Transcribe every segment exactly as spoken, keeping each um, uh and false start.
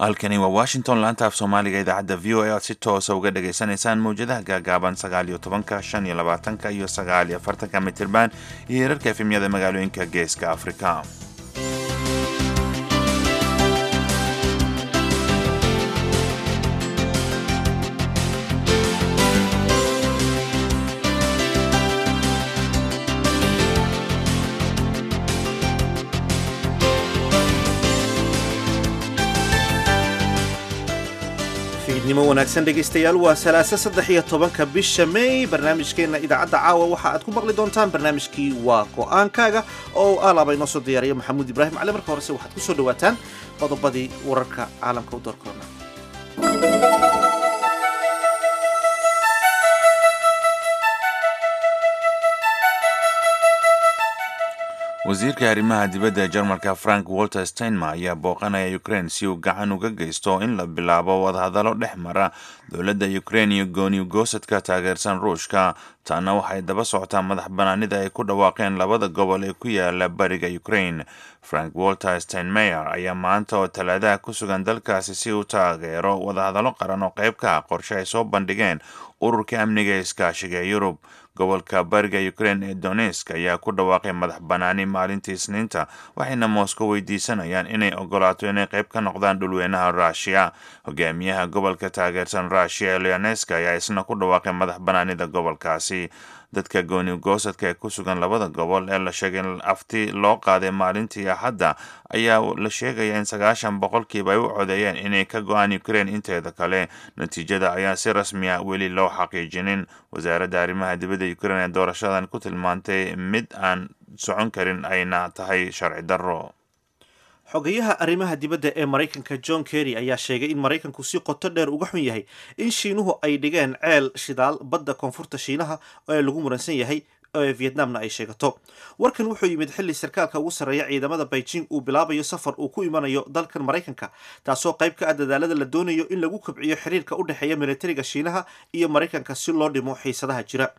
Halkani waa Washington, laanta af Soomaaliga idaacadda V O A, aad si toosa uga dhagaysanaysaan mawjadaha gaagaaban sagaal iyo tobanka, shan iyo labaatanka iyo sagaal iyo afartanka mitirban iyo hirarka F M-yada magaalooyinka Geeska Afrika. Fiidnimo wanaagsan, dhegaystayaal. Waa Salaasa, saddex iyo tobanka bisha May. Barnaamijkeena idaacadda caawa waxa aad ku maqli doontaan barnaamijkii Waa Go'aankaaga oo alaaba inoo soo diyaariyo Maxamuud Ibraahim Cali. Marka horese waxaad ku soo dhawaataan qodobadii wararka caalamka u doorkoona. Wasiirka arrimaha dibadda ee Jarmalka, Frank Walter Steinmeier, ayaa booqanaya Ukraine si uu gacan uga geysto in la bilaabo wadahadallo dhex mara dowladda Ukraine iyo gooni goosadka taageersan Ruushka. Taana waxay daba socotaa madax banaanida ay ku dhawaaqeen labada gobol ee ku yaala bariga Ukraine. Frank Walter Steinmeier ayaa maanta oo Talaadaha ku sugan dalkaasi si uu taageero wadahadallo qaran oo qayb ka ah qorshe ay soo bandhigeen Ururka Amniga ee Iskaashiga ee Yurub. Gobolka bariga Ukraine ee Donetsk ayaa ku dhawaaqay madax banaani maalintii Isniinta, waxayna Moscow weydiisanayaan inay ogolaato inay qayb ka noqdaan dhulweynaha Rushia. Hogaamiyaha gobolka taageersan Rushia ee Luhansk ayaa isna ku dhawaaqay madax banaanida gobolkaasi. Dadka gooni goosadka ee ku sugan labada gobol ee la sheegay in afti loo qaaday maalintii Axadda ayaa la sheegaya in sagaashan boqolkiiba ay u codeeyeen inay ka go'aan Ukraine inteeda kale. Natiijada ayaa si rasmi ah weli loo xaqiijinin. Wasaaradda arrimaha dibadda Ukraine ee doorashadan ku tilmaantay mid aan socon karin, ayna tahay sharci darro. Xogayaha arrimaha dibadda ee Maraykanka, John Kerry, ayaa sheegay in Maraykanku si qoto dheer uga xun yahay in Shiinuhu ay dhigeen ceel shidaal badda koonfurta Shiinaha ee lagu muransan yahay ee Vietnamna ay sheegato. Warkan wuxuu yimid xilli sarkaalka ugu sarreeya ciidamada Beijing uu bilaabayo safar uu ku imanayo dalkan Maraykanka, taasoo qayb ka ah dadaalada la doonayo in lagu kobciyo xiriirka u dhexeeya militariga Shiinaha iyo Maraykanka si loo dhimo xiisadaha jira.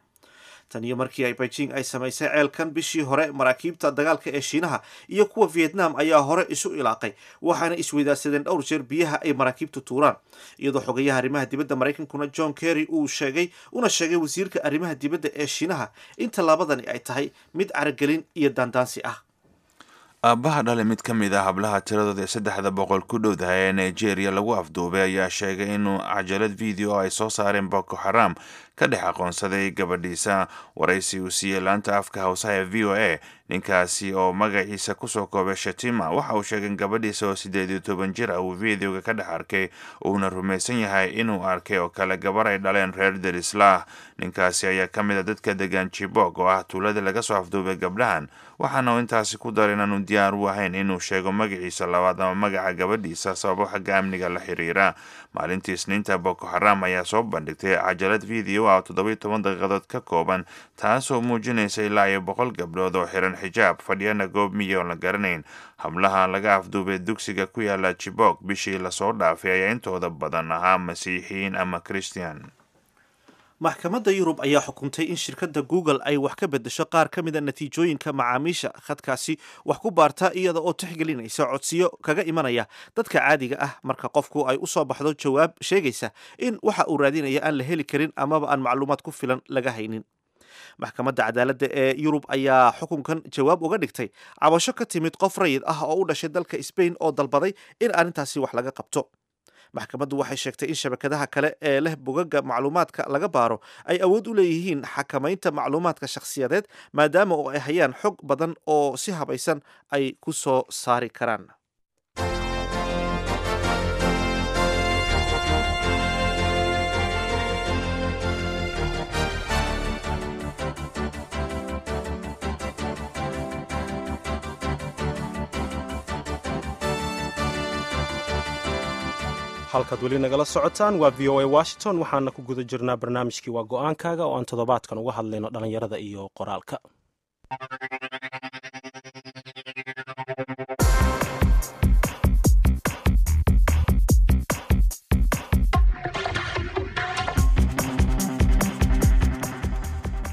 Tan iyo markii ay Beijing ay samaysay ceelkan bishii hore, maraakiibta dagaalka ee Shiinaha iyo kuwa Vietnam ayaa hore isu ilaaqay, waxaana isweydaarsadeen dhowr jeer biyaha ay maraakiibtu tuuraan, iyadoo xogayaha arrimaha dibadda Maraykankuna, John Kerry, uu sheegay una sheegay wasiirka arrimaha dibadda ee Shiinaha in tallaabadani ay tahay mid caragelin iyo daandaansi ah. Aabbaha dhale mid ka mid ah hablaha tiradooda ee saddexda boqol ku dhowdahay ee Nigeria lagu afduubay ayaa sheegay inuu cajalad video ay soo saareen Boko Haram ka dhex aqoonsaday gabadhiisa. Waraysi uu siiyey laanta afka Hawsaha ee V O A, ninkaasi oo magaciisa kusoo koobay Shatima, waxa uu sheegay in gabadhiisa oo siddeed iyo toban jir ah uu videoga ka dhex arkay, uuna rumaysan yahay inuu arkay oo kale gabar ay dhaleen reer derislah. Ninkaasi ayaa ka mid a dadka degan Chibok, oo ah tuulada laga soo afduubay gabdhahan, waxaana uu intaasi ku daray inaanu diyaar u ahayn inuu sheego magaciisa labaad ama magaca gabadhiisa sababo xagga amniga la xiriira. Maalintii Isniinta, Boko Haram ayaa soo bandhigtay cajalad video ah oo toddoba iyo toban daqiiqadood ka kooban, taasoo muujinaysa ilaa iyo boqol gabdhood oo xiran xijaab, fadhiyana goob miyi oon la garanayn. Hablaha laga afduubay dugsiga ku yaala Chibok bishii lasoo dhaafay ayaa intooda badan ahaa Masiixiyiin ama Christian. Maxkamadda Yurub ayaa xukuntay in shirkadda Google ay wax ka bedesho qaar ka mida natiijooyinka macaamiisha khadkaasi wax ku baarta, iyada oo tixgelinaysa codsiyo kaga imanaya dadka caadiga ah marka qofku ay u soo baxdo jawaab sheegaysa in waxa uu raadinaya aan la heli karin amaba aan macluumaad ku filan laga haynin. Maxkamadda Cadaaladda ee Yurub ayaa xukunkan jawaab uga dhigtay cabasho ka timid qof rayid ah oo u dhashay dalka Spain oo dalbaday in arrintaasi wax laga qabto. Maxkamaddu waxay sheegtay in shabakadaha kale ee leh bogaga macluumaadka laga baaro ay awood u leeyihiin xakamaynta macluumaadka shakhsiyadeed, maadaama oo ay hayaan xog badan oo si habaysan ay ku soo saari karaan. Halkaad weli nagala socotaan waa V O A Washington. Waxaana ku guda jirnaa barnaamijkii Waa Go'aankaaga oo aan toddobaadkan uga hadlayno dhallinyarada iyo qoraalka.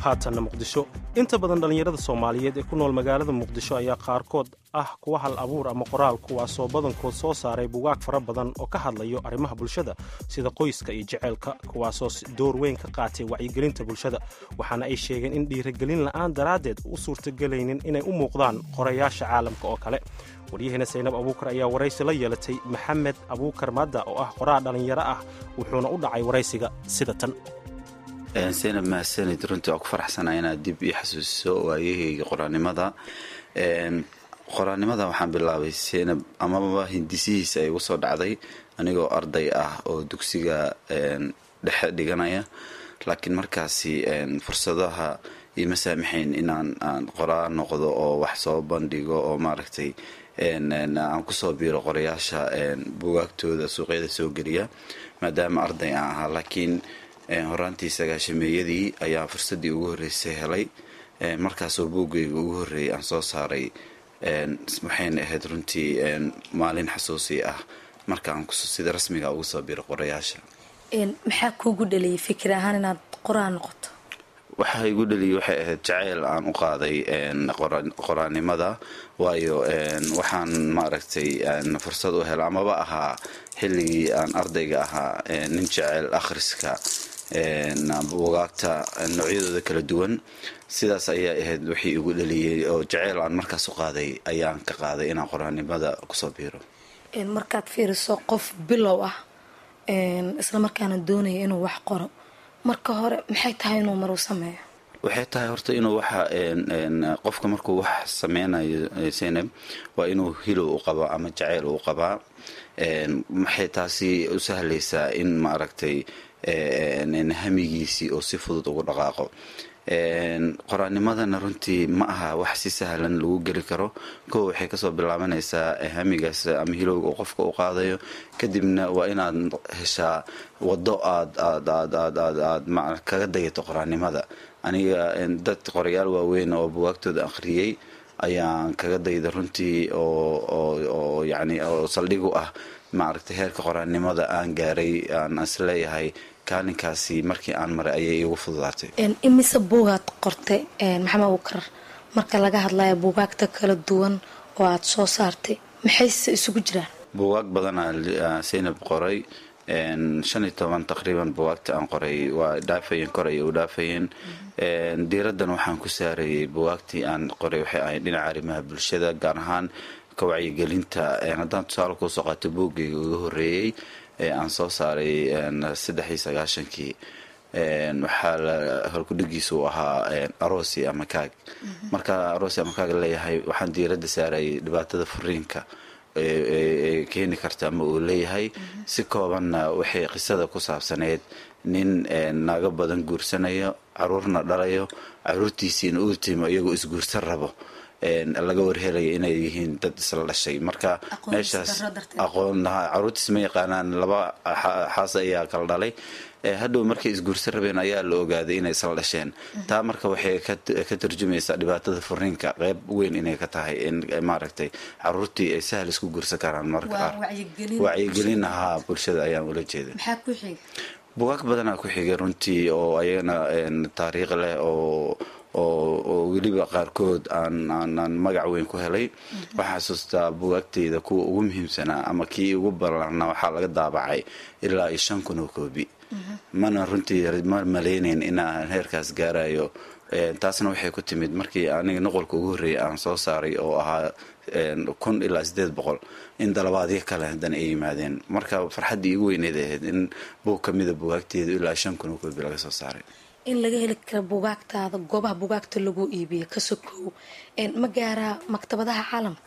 Haatanna Muqdisho. Inta badan dhallinyarada Soomaaliyeed ee ku nool magaalada Muqdisho ayaa qaarkood ah kuwa hal abuur ama qoraal, kuwaasoo badankood soo saaray bugaag fara badan oo ka hadlayo arrimaha bulshada sida qoyska iyo jeceylka, kuwaasoo door weyn ka qaatay wacyigelinta bulshada. Waxaana ay sheegeen in dhiirigelin la'aan daraaddeed u suurtagelaynin inay u muuqdaan qorayaasha caalamka oo kale. Waryaheena Saynab Abuukar ayaa waraysi la yeelatay Maxamed Abuukar Madda oo ah qoraal dhallinyaro ah, wuxuuna u dhacay waraysiga sida tan. Saynab, mahadsanid. Runtii waa ku faraxsanaa inaad dib ii xasuusiso waayahayga qoraanimada. Qoraannimada waxaan bilaabay, Saynab, amaba hindisihiisa ay igu soo dhacday anigoo arday ah oo dugsiga dhexe dhiganaya, laakiin markaasi fursadaha iima saamaxayn inaan aan qoraa noqdo oo wax soo bandhigo oo maaragtay aan kusoo biiro qorayaasha bugaagtooda suuqyada soo geliya, maadaama arday aan ahaa. Laakiin horaantii sagaashameeyadii ayaa fursaddii ugu horreysay helay, markaasoo buuggayga ugu horreeyay aan soo saaray. Waxayna ahayd runtii maalin xasuusi ah markaan sida rasmiga ugu soo biro qorayaasha. Maxaa kuugu dhaliyay fikir ahaan inaad qoraa noqoto? Waxaa igu dhaliyay waxay ahayd jaceyl aan u qaaday qoraanimada, waayo waxaan maaragtay fursad u hela amaba ahaa xilligii aan ardayga ahaa nin jecel akhriska bugaagta noocyadooda kala duwan. Sidaas ayaa ahayd wixii igu dhaliyey, oo jaceyl aan markaas u qaaday ayaan ka qaaday inaan qoraanimada kusoo biiro. Markaad fiiriso qof bilow ah isla markaana doonaya inuu wax qoro, marka hore maxay tahay inuu maruu sameeyo? Waxay tahay horta inuu waxa qofka markuu wax sameynayo, Saynab, waa inuu hilow u qabo ama jaceyl u qabaa. Maxay taasi u sahlaysaa in maaragtay hamigiisii oo si fudud ugu dhaqaaqo. Qoraanimadana runtii ma aha wax si sahlan lagu geli karo. Kow, waxay kasoo bilaabanaysaa hamigaas ama hilowga uu qofka u qaadayo, kadibna waa inaad heshaa waddo aad aad aad aad aad aad kaga dayato qoraanimada. Aniga dad qorayaal waaweyn oo bugaagtooda akhriyey ayaan kaga dayda runtii, oo oo oo yacni oo saldhig u ah maaragtay heerka qoraanimada aan gaaray, aan isleeyahay kaalinkaasi markii aan maray ayay iigu fududaatay. Imise buugaad qortay, Maxamed Abuukar, marka laga hadlayo buugaagta kala duwan oo aada soo saartay, maxayse isugu jiraan? Buugaag badanaa, Saynab, qoray. Shan iyo toban taqriiban bugaagta aan qoray waa dhaafayeen, kor ayay u dhaafayeen. Diiraddan waxaan ku saarayay bugaagtii aan qoray waxay ahayd dhinaca arrimaha bulshada, gaar ahaan ka wacyigelinta. Haddaan tusaale kuusoo qaato buuggayga uga horreeyey ee aan soo saaray saddex iyo sagaashankii, waxaa la halkudhigiisa uu ahaa "Aroosi ama Kaag". Marka "Aroosi ama Kaag" leeyahay, waxaan diiradda saarayay dhibaatada furiinka ee keeni karta ama uu leeyahay. Si koobanna waxay qisada ku saabsaneyd nin naago badan guursanayo, caruurna dhalayo, caruurtiisiina uu timo iyagoo isguursan rabo laga warhelaya inay yihiin dad isla dhashay. Marka meeshaas aqoon caruurtiis ma yaqaanaan, laba xaas ayaa kala dhalay. Hadhow markay isguursan rabeen ayaa la ogaaday inay isla dhasheen. Taa marka waxay ka turjumaysaa dhibaatada furiinka qeyb weyn inay ka tahay in maaragtay caruurtii ay sahal isku guursan karaan. Marka qaar wacyigelin ahaa bulshada ayaan ula jeeda. Bugaag badanaa ku xigay runtii, oo ayagana taariikh leh oo oo weliba qaarkood aan aan magac weyn ku helay. Waxaan xasuustaa bugaagteyda kuwa ugu muhiimsanaa ama kii ugu ballaarnaa waxaa laga daabacay ilaa iyo shan kun oo koobi. Mana runtii ma maleynayn inaan heerkaas gaarayo. Taasna waxay ku timid markii aniga nuqulka ugu horreeyay aan soo saaray oo ahaa kun ilaa sideed boqol, in dalabaadyo kale haddana ay yimaadeen. Marka farxaddii igu weyneed ahayd in buug ka mida bugaagteedu ilaa shan kun oo koobi laga soo saaray. In laga heli kara bugaagtaada goobaha bugaagta lagu iibiyo ka sokow, ma gaaraa maktabadaha caalamka?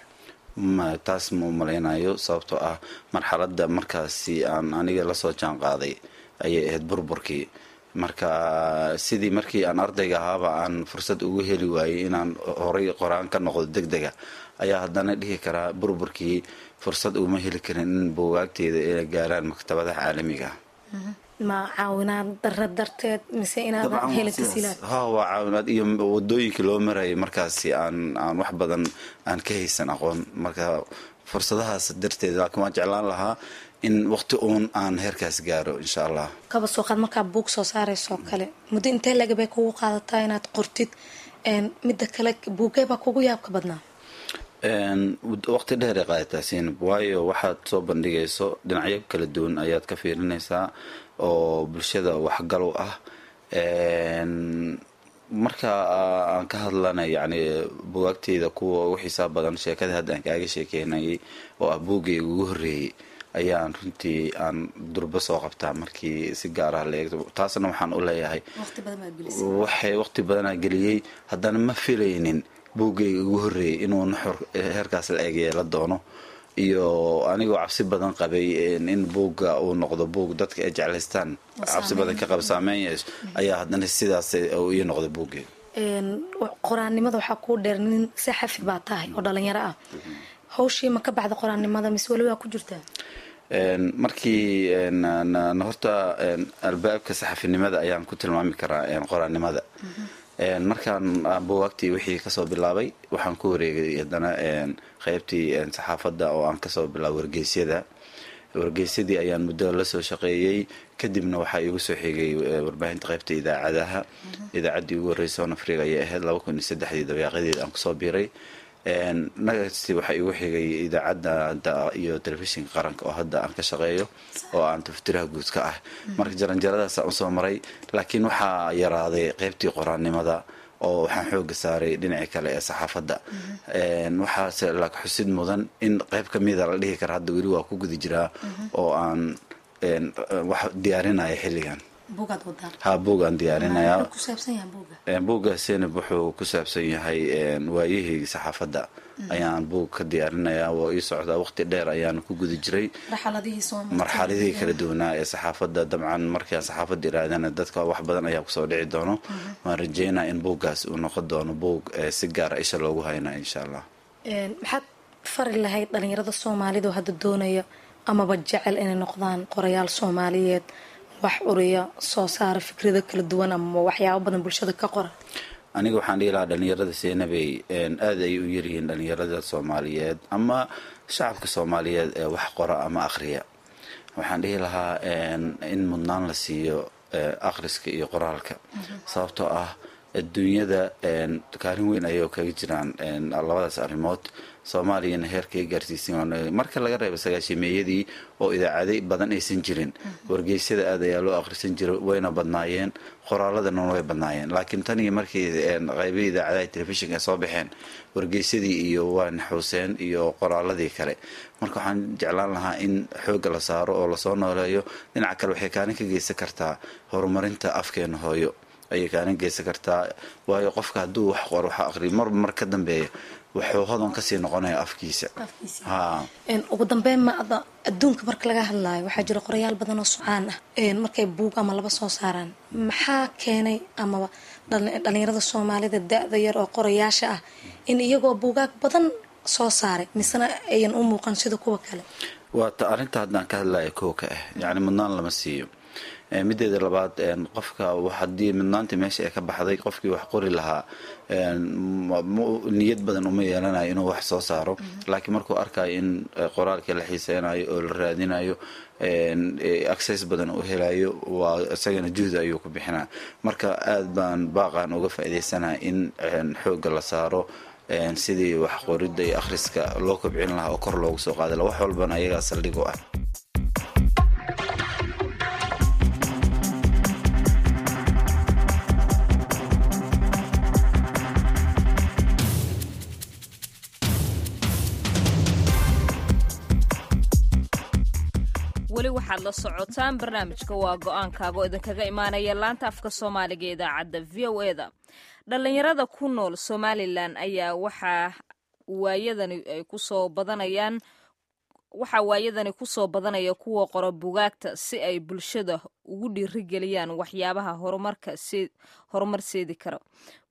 Ma taas ma umalaynayo, sababtoo ah marxaladda markaasi aan aniga lasoo jaan qaaday ayay ahayd burburkii. Marka sidii markii aan ardayga ahaaba aan fursad ugu heli waayey inaan horay qoraan ka noqdo deg dega, ayaa haddana dhihi karaa burburkii fursad uma heli karin in buugaagteeda ay gaaraan maktabadaha caalamiga. Ma caawinaad darra darteed mise inaadan helin tasiilaad? Ha, waa caawinaad iyo wadooyinkii loo marayay markaasi aan aan wax badan aan ka haysan aqoon. Marka fursadahaas darteed, laakiin waan jeclaan lahaa in waqti uun aan heerkaas gaaro, insha Allah. Kaba soo qaad markaa buug soo saarayso kale, muddo intee laga bay kugu qaadataa inaad qortid Midda kale, buugee baa kugu yaabka badnaa? Waqti dheer ay qaadataa, Seynab, waayo waxaad soo bandhigayso dhinacyo kala duwan ayaad ka fiirinaysaa oo bulshada waxgal u ah. Marka aan ka hadlana, yacni, bugaagteyda kuwa ugu xiisaa badan, sheekada hadda aan kaaga sheekeynayay oo ah buuggayga ugu horreeyey ayaan runtii aan durbo soo qabtaa markii si gaar ah la eegto. Taasna waxaan u leeyahay waxay waqti badanaa geliyey, haddana ma filaynin buuggayga ugu horreeyey inuu nuxur heerkaas la eeg yeela doono, iyo anigoo cabsi badan qabay in buugga uu noqdo buug dadka ay jeclaystaan, cabsi badan ka qaba saameyn yeesho, ayaa haddana sidaas uu ii noqday buuggayga. Qoraannimada waxaa kuu dheer nin saxafi baa tahay oo dhalinyaro ah. Hawshii ma ka baxda qoraannimada mise weli waa ku jirtaa? Markii horta albaabka saxafinimada ayaan ku tilmaami karaa qoraannimada. Markaan buugaagtii wixii kasoo bilaabay, waxaan ku wareegay haddana qeybtii saxaafadda oo aan kasoo bilaabay wargeysyada. Wargeysyadii ayaan muddo lasoo shaqeeyey, kadibna waxaa iigu soo xigay warbaahinta qeybta idaacadaha. Idaacaddii ugu horreysay Horn Africa ayay ahayd, laba kun iyo saddexdii dabayaaqadeed aan kusoo biiray. Nagasti waxaa iigu xigay idaacadda iyo telefishinka qaranka oo hadda aan ka shaqeeyo oo aan tafatiraha guud ka ah. Marka jaranjaradaasaan usoo maray, laakiin waxaa yaraaday qeybtii qoraannimada oo waxaan xooga saaray dhinacii kale ee saxaafadda. Waxaase laak xusid mudan in qeyb kamida la dhihi kara hadda weli waa ku guda jiraa oo aan wax diyaarinaya xilligan. Ha, buugaan diyaarinayaa. Buugga, Senab, wuxuu ku saabsan yahay waayihii saxaafadda ayaan buug ka diyaarinayaa. Waa ii socdaa, waqti dheer ayaan ku guda jiray marxaladihii kala duwanaa ee saxaafadda. Dabcan markaan saxaafadda iraadana, dadka wax badan ayaa kusoo dhici doono. Waan rajeynaa in buuggaas uu noqon doono buug si gaara isha loogu haynaa, insha Allah. Maxaad fari lahayd dhalinyarada soomaalida oo hadda doonaya amaba jecel inay noqdaan qorayaal Soomaaliyeed, wax curiya, soo saara fikrado kala duwan ama waxyaabo badan bulshada ka qora? Aniga waxaan dhihi lahaa dhalinyarada, Seenabey, aada ayay u yaryihiin dhalinyarada Soomaaliyeed ama shacabka Soomaaliyeed ee wax qora ama akhriya. Waxaan dhihi lahaa in mudnaan la siiyo akhriska iyo qoraalka, sababtoo ah adduunyada kaalin weyn ayay kaga jiraan labadaas arrimood. Soomaaliyana heerkay gaarsiisan, marka laga reebo sagaashimeeyadii oo idaacaday badan aysan jirin, wargeysyada aad ayaa loo akhrisan jiray, wayna badnaayeen, qoraaladana way badnaayeen. Laakiin tan iyo markii qaybihii idaacadaha telefishinka ay soo baxeen, wargeysyadii iyo waa naxuuseen iyo qoraaladii kale. Marka waxaan jeclaan lahaa in xoogga la saaro oo lasoo nooleeyo. Dhinaca kale, waxay kaalin ka geysan kartaa horumarinta afkeena hooyo ayay kaalin geysan kartaa, waayo qofka hadduu wax qoro, waxa aqriyo, marba mar ka dambeeya wuxuu hodan kasii noqonaya afkiisa. Ha. Ugu dambeyn, ma ada adduunka marka laga hadlaayo waxaa jira qorayaal badan oo socaan ah markay buug ama laba soo saaraan. Maxaa keenay amaba dhalinyarada Soomaalida da-da yar oo qorayaasha ah in iyagoo buugaag badan soo saaray misena ayan u muuqan sida kuwa kale? Waa ta arrinta haddaan ka hadlaya kow ka ah, yacni mudnaan lama siiyo. Mideeda labaad, qofka haddii mudnaantii meesha ay ka baxday, qofkii wax qori lahaa niyad badan uma yeelanayo inuu wax soo saaro. Laakiin markuu arkayo in qoraalkii la xiiseynayo oo la raadinayo, access badan uu helayo, waa isagana juhdi ayuu ku bixinaa. Marka aad baan baaqan uga faa'iidaysanaya in xoogga la saaro sidii wax qoridda iyo akhriska loo kobcin lahaa oo kor loogu soo qaadi laha. Wax walbana ayagaa saldhig u ah. Weli waxaad la socotaan barnaamijka Waa Go-aankaaga oo idinkaga imaanaya laanta afka Soomaaliga ee idaacadda V O E da. Dhallinyarada ku nool Somalilan ayaa waxaa waayadani ay kusoo badanayaan waxaa waayadani kusoo badanaya kuwa qora bugaagta si ay bulshada ugu dhiirigeliyaan waxyaabaha horumarka si horumar seedi karo.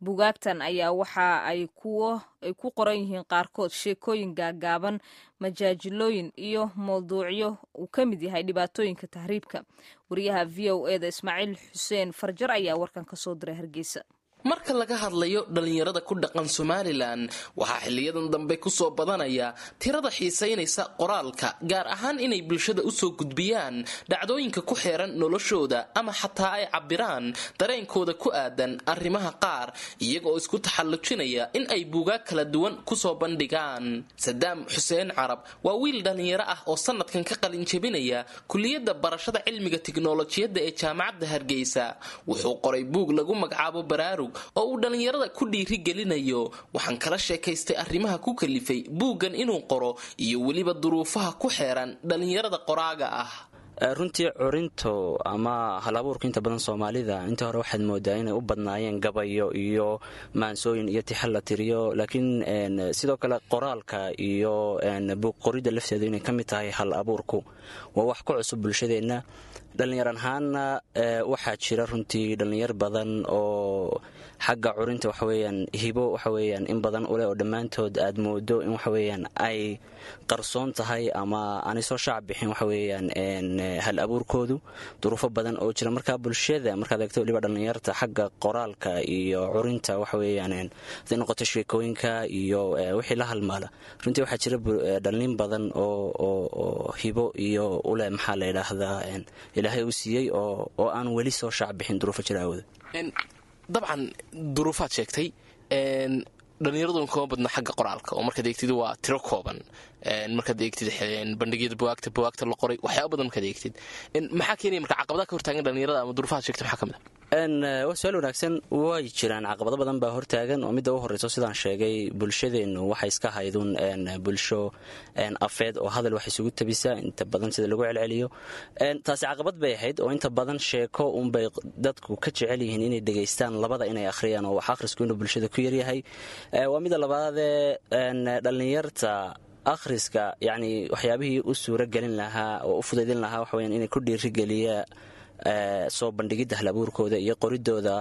Bugaagtan ayaa waxa ay kuwo ay ku qoran yihiin qaarkood sheekooyin gaagaaban, majaajilooyin iyo mawduucyo uu ka mid yahay dhibaatooyinka tahriibka. Wariyaha V O E da Ismaaciil Xuseen Farjar ayaa warkan kasoo diray Hargeysa. Marka laga hadlayo dhallinyarada ku dhaqan Somalilan, waxaa xiliyadan dambe kusoo badanaya tirada xiisaynaysa qoraalka, gaar ahaan inay bulshada usoo gudbiyaan dhacdooyinka ku xeeran noloshooda ama xataa ay cabbiraan dareenkooda ku aadan arrimaha qaar, iyaga oo isku taxallujinaya in ay buugaag kala duwan kusoo bandhigaan. Sadaam Xuseen Carab waa wiil dhallinyaro ah oo sanadkan ka qalin jebinaya kuliyadda barashada cilmiga tiknolojiyadda ee Jaamacadda Hargeysa. Wuxuu qoray buug lagu magacaabo Baraarug oo uu dhallinyarada ku dhiiri gelinayo. Waxaan kala sheekaystay arrimaha ku kalifay buuggan inuu qoro iyo weliba duruufaha ku xeeran dhallinyarada qoraaga ah. Runtii curinto ama halabuurka inta badan Soomaalida inta hore waxaad moodaa inay u badnaayeen gabayo iyo maansooyin iyo tixal la tiriyo, laakiin sidoo kale qoraalka iyo buug qoridda lafteedu inay ka mid tahay hal abuurku waa wax ku cusub bulshadeenna. Dhallinyar ahaanna waxaa jira runtii dhallinyar badan oo xagga curinta waxaweyaan hibo waxaweyaan in badan uleh, oo dhammaantood aad moodo in waxaweyaan ay qarsoon tahay ama aanay soo shaac bixin waxaweyaan hal abuurkoodu, duruufo badan oo jira. Marka bulshada markaad eegto weliba dhallinyarta xagga qoraalka iyo curinta waxaweyaan haday noqoto sheekooyinka iyo wixii la halmaala, runtii waxaa jira dhallin badan oo hibo iyo uleh, maxaa la yidhaahdaa, Ilaahay uu siiyey oo aan weli soo shaac bixin duruufo jira awooda. Dabcan duruufaad sheegtay, dhallinyaraduna kama badna xagga qoraalka oo markaad eegtid waa tiro kooban. Markaad eegtid bandhigyada buwaagta, buwaagta la qoray, waxyaaba badan markaad eegtid, maxaa keenaya marka caqabadaha ka hortaagan dhallinyarada ama duruufaha sheegtay maxaa ka mid ah? Waa su-aal wanaagsan. Way jiraan caqabado badan baa hortaagan, oo midda u horreyso sidaan sheegay bulshadeennu waxay iska hayduun bulsho afeed oo hadal wax isugu tabisa inta badan sida lagu celceliyo. Taasi caqabad bay ahayd, oo inta badan sheeko unbay dadku ka jecel yihiin inay dhegaystaan labada inay akhriyaan, oo wax akhrisku inuu bulshada ku yaryahay. Waa midda labaadee, dhallinyarta akhriska yacni waxyaabihii u suuro gelin lahaa oo u fudaydin lahaa waxaweyaan inay ku dhiirigeliya soo bandhigidda halabuurkooda iyo qoridooda,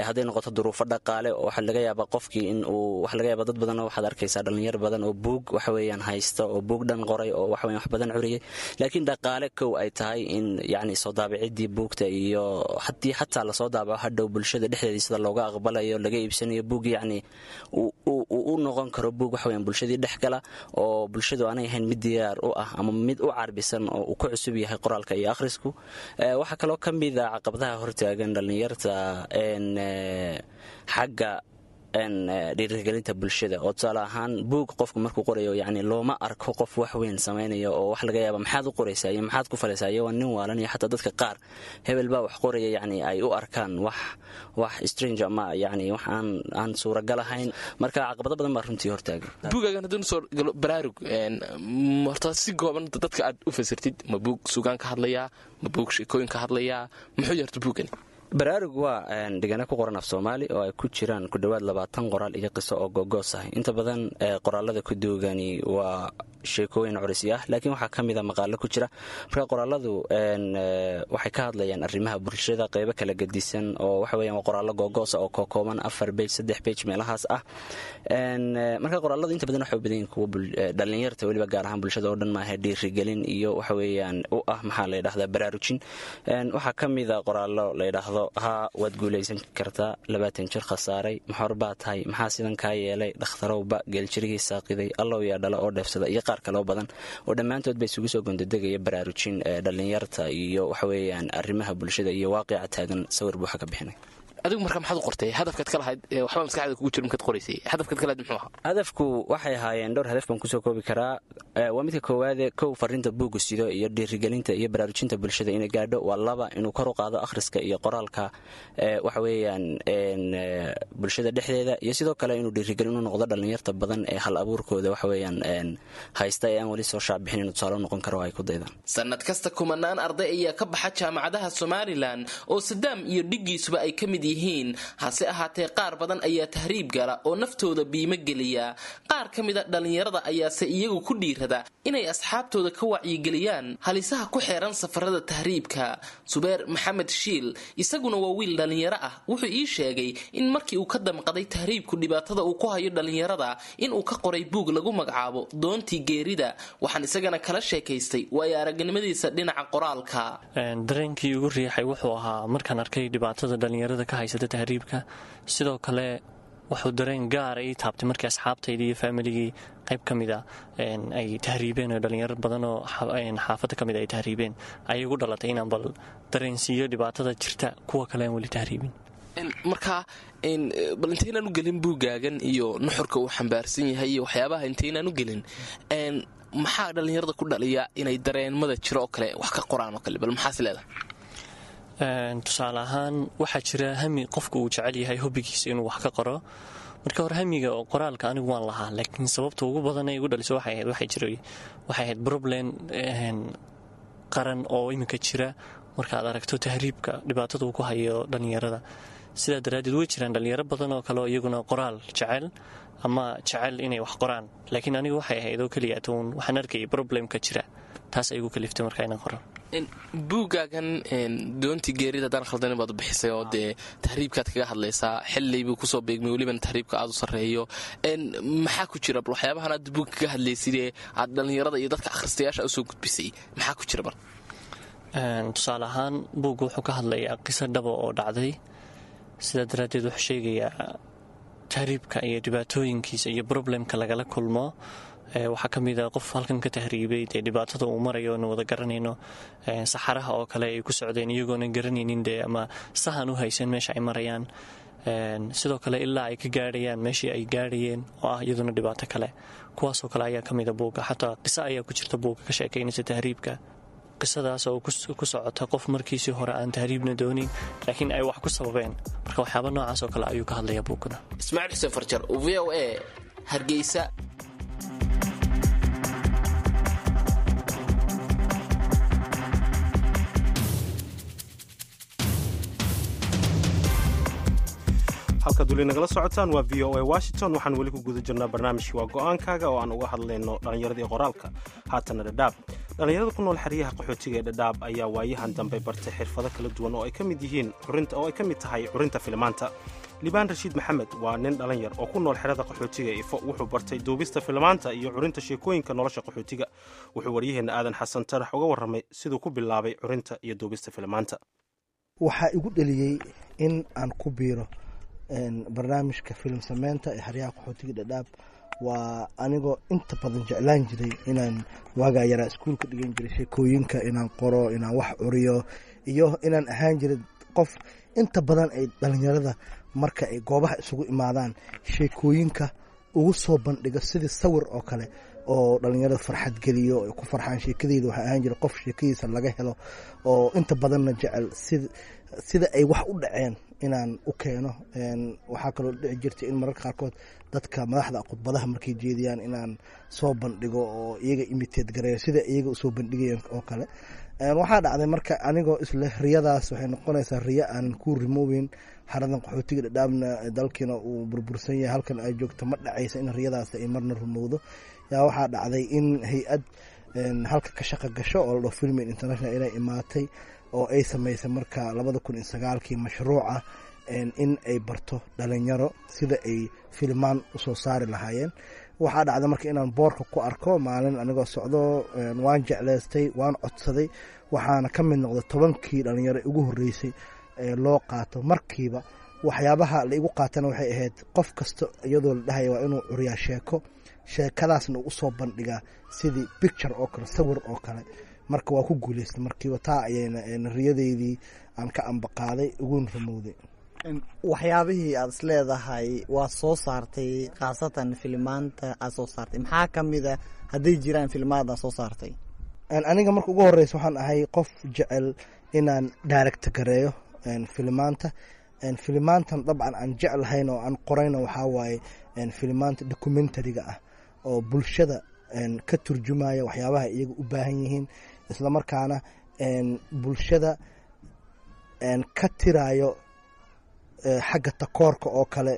hadday noqoto duruufo dhaqaale oo waxaa laga yaabaa qofkii in uu waxa laga yaabaa dad badanoo waxaad arkaysaa dhallinyar badan oo buug waxaweyaan haysta oo buug dhan qoray oo waxaweyan wax badan curiyay, laakiin dhaqaale kow ay tahay in yacni soo daabiciddii buugta iyo haddii xataa lasoo daabaco hadhow bulshada dhexdeedii sida looga aqbalayo laga iibsanayo buug, yacni uu u noqon karo buug waxaweyan bulshadii dhex gala, oo bulshadu aanay ahayn mid diyaar u ah ama mid u carbisan oo uu ku cusub yahay qoraalka iyo akhrisku. Waxaa kaloo ka mida caqabadaha hortaagan dhallinyarta xagga dhiirigelinta bulshada, oo tusaale ahaan buug qofku markuu qorayo yacni looma arko qof wax weyn samaynaya, oo wax laga yaaba maxaad u qoraysaa iyo maxaad ku falaysaa iyo waa nin waalan, iyo xataa dadka qaar hebel baa wax qoraya yacni ay u arkaan wax wax strange ama yacni wax aan aan suuragal ahayn. Marka caqabado badan baa runtii hortaagan. Buugaagan haddii nusoo galo Baraarug, horta si gooban dadka aad u fasirtid, ma buug sugaan ka hadlayaa, ma buug sheekooyin ka hadlayaa, muxuu yahay horta buugani? Baraarug waa dhigana ku qoran af Soomaali oo ay ku jiraan ku dhowaad labaatan qoraal iyo qiso oo googoos ah. Inta badan qoraalada ku duugani waa sheekooyin curisi ah, laakiin waxaa ka mida maqaalo ku jira. Marka qoraaladu waxay ka hadlayaan arrimaha bulshada qeybo kala gedisan, oo waxa weeyaan waa qoraallo googoosa oo kookooban, afar bej, saddex bej meelahaas ah. Marka qoraaladu inta badan waxay u badan yihiin kuwa dhallinyarta, weliba gaar ahaan bulshada oo dhan maaha, dhiirigelin iyo waxa weeyaan u ah maxaa la yidhahdaa baraarujin. Waxaa ka mida qoraallo la yidhaahdo haa waad guulaysan kartaa, labaatan jir khasaaray, maxor baa tahay, maxaa sidan kaa yeelay, dhakhtarowba geeljirigii saaqiday, allow yaa dhala oo dheefsada, iyo qaar kaloo badan oo dhammaantood ba isugu soo gondadegaya baraarujin dhallinyarta iyo waxaweeyaan arrimaha bulshada iyo waaqica taagan sawir buuxa ka bixinay. Adigu marka maxaad u qortay? Hadafkaad ka lahayd waxba maskaxda kugu jira markaad qoraysay, hadafkaad ka lahayd muxuu ahaa? Hadafku waxay ahaayeen dhowr hadaf baan kusoo koobi karaa. Waa midka koowaade, kow fariinta buugga sido iyo dhiirigelinta iyo baraarujinta bulshada inay gaadho. Waa laba, inuu kor u qaado akhriska iyo qoraalka waxa weeyaan bulshada dhexdeeda, iyo sidoo kale inuu dhiirigelin u noqdo dhallinyarta badan ee hal abuurkooda waxa weeyaan haysta ee aan weli soo shaacbixin, inuu tusaale u noqon karo oo ay ku daydaan. Sanad kasta kumanaan arday ayaa ka baxa jaamacadaha Somalilan oo Sadaam iyo dhiggiisuba ay ka mid yihiin, hase ahaatee qaar badan ayaa tahriib gala oo naftooda biimo geliya. Qaar ka mida dhallinyarada ayaase iyagu ku dhiirada inay asxaabtooda ka wacyigeliyaan halisaha ku xeeran safarada tahriibka. Subeer Maxamed Shiil isaguna waa wiil dhallinyaro ah. Wuxuu ii sheegay in markii uu ka damqaday tahriibku dhibaatada uu ku hayo dhallinyarada inuu ka qoray buug lagu magacaabo Doontii Geerida. Waxaan isagana kala sheekaystay waayo aragnimadiisa dhinaca qoraalka. Dareenkii ugu riixay wuxuu ahaa markaan arkay dhibaatada dhallinyarada ka haysata tahriibka. Sidoo kale wuxuu dareen gaara ii taabtay markii asxaabtayda iyo faamiligii qayb ka mid a ay tahriibeen, oo dhalinyaro badan oo xaafadda ka mid ay tahriibeen. Ayay igu dhalatay inaan bal dareensiiyo dhibaatada jirta kuwa kale aan weli tahriibin. Marka bal intaynaan u gelin buuggaagan iyo nuxurka uu xambaarsan yahay iyo waxyaabaha, intaynaan u gelin, maxaa dhallinyarada ku dhaliya inay dareenmada jiro oo kale wax ka qoraan oo kale? Bal maxaas leedahay? Tusaale ahaan, waxaa jira hami qofku uu jecel yahay hobbigiisa inuu wax ka qoro. Marka hore hamiga oo qoraalka anigu waan lahaa, laakiin sababta ugu badan ee igu dhaliso waxay ahayd waxay jiray waxay ahayd problem qaran oo iminka jira, markaad aragto tahriibka dhibaatada uu ku hayo dhallinyarada. Sidaa daraaddeed way jiraan dhallinyaro badan oo kale oo iyaguna qoraal jecel ama jecel inay wax qoraan, laakiin anigu waxay ahayd oo keliya tuun waxaan arkayay problemka jira, taas ay igu kaliftay marka inaan qoro. Buuggaagan Doontii Geerida, haddaan khaldanin, baad bixisay oo dee tahriibkaad kaga hadlaysaa. Xillay buu kusoo beegmay, welibana tahriibka aad u sarreeyo. Maxaa ku jira bal waxyaabahan aad buugga kaga hadlaysidee aad dhallinyarada iyo dadka akhristayaasha usoo gudbisay? Maxaa ku jira bal? Tusaale ahaan, buugga wuxuu ka hadlayaa qiso dhaba oo dhacday. Sidaa daraaddeed wuxuu sheegayaa tahriibka iyo dhibaatooyinkiisa iyo problemka lagala kulmo. Waxaa ka mid a qof halkan ka tahriibay, dee dhibaatada uu marayo nu wada garanayno, saxaraha oo kale ay ku socdeen iyagoona garanaynin dee ama sahan u haysan meesha ay marayaan. Sidoo kale ilaa ay ka gaadhayaan meeshii ay gaadhayeen oo ah iyaduna dhibaato kale. Kuwaasoo kale ayaa ka mida buugga. Xataa qiso ayaa ku jirta buugga ka sheekaynaysa tahriibka, qisadaas oo ku socota qof markiisii hore aan tahriibna doonin, laakiin ay wax ku sababeen. Marka waxyaaba noocaas oo kale ayuu ka hadlaya buugguna. Ismaaciil Xuseen Farjar, V O A, Hargeysa. Halkaad weli nagala socotaan waa V O A Washington. Waxaan weli ku guda jirnaa barnaamijkii Waa Go-aankaaga oo aan uga hadlayno dhallinyaradii qoraalka. Haatana Dhadhaab. Dhallinyarada ku nool xeryaha qaxootiga ee Dhadhaab ayaa waayahan dambe bartay xirfado kala duwan oo ay ka mid yihiin curinta oo ay ka mid tahay curinta filimaanta. Liibaan Rashiid Maxamed waa nin dhalinyar oo ku nool xerada qaxootiga Ifo. Wuxuu bartay duubista filimaanta iyo curinta sheekooyinka nolosha qaxootiga. Wuxuu waryaheenna Aadan Xasan Tarax uga warramay siduu ku bilaabay curinta iyo duubista filimaanta. Waxaa igu dhaliyey in aan ku biiro barnaamijka filim sameynta ee xeryaha qaxootiga Dhadhaab waa anigoo inta badan jeclaan jiray inaan waagaa yaraa iskuulka dhigan jiray sheekooyinka inaan qoro, inaan wax curiyo, iyo inaan ahaan jiray qof inta badan ay dhalinyarada marka ay goobaha isugu imaadaan sheekooyinka ugu soo bandhigo sidii sawir oo kale oo dhalinyarada farxad geliyo, ay ku farxaan sheekadeyda. Waxaa ahaan jiray qof sheekadiisa laga helo oo inta badanna jecel sida ay wax u dhaceen inaan u keeno. Waxaa kaloo dhici jirtay in mararka qaarkood dadka madaxda khudbadaha markay jeediyaan inaan soo bandhigo oo iyaga imitate gareeyo sida iyaga usoo bandhigayeen oo kale. Waxaa dhacday marka anigoo isle riyadaas waxay noqonaysaa riyo aanan ku rimoobeyn, xaradan qaxootiga Dhadhaabna dalkiina uu burbursan yahay, halkan ay joogto ma dhacaysa in riyadaas ay marna rumowdo. Yaa waxaa dhacday in hay-ad halka ka shaqa gasho oo la dhaho Filmin International inay imaatay oo ay samaysay marka labada kun iyo sagaalkii mashruuca in ay barto dhalinyaro sida ay filmaan usoo saari lahaayeen. Waxaa dhacday marka inaan boorka ku arko maalin anigoo socdo, waan jeclaystay, waan codsaday, waxaana ka mid noqday tobankii dhalinyaro ugu horreysay ee loo qaato markiiba. Waxyaabaha la igu qaatana waxay ahayd qof kasta iyadoo la dhahaya waa inuu curiyaa sheeko, sheekadaasna uu usoo bandhigaa sidii picture oo kale, sawir oo kale. Marka waa ku guuleystay markiiba, taa ayayna riyadeydii aan ka ambaqaaday uguna rumowday. Waxyaabihii aad is leedahay waa soo saartay, khaasatan filimaanta aad soo saartay, maxaa ka mid a hadday jiraan filimaad aad soo saartay? Aniga marka ugu horeysa waxaan ahay qof jecel inaan direct gareeyo filimaanta. Filimaantan dabcan aan jeclahayn oo aan qorayna waxaa waaye filimaanta documentariga ah oo bulshada ka turjumaya waxyaabaha iyaga u baahan yihiin, islamarkaana bulshada ka tirayo xagga takoorka oo kale.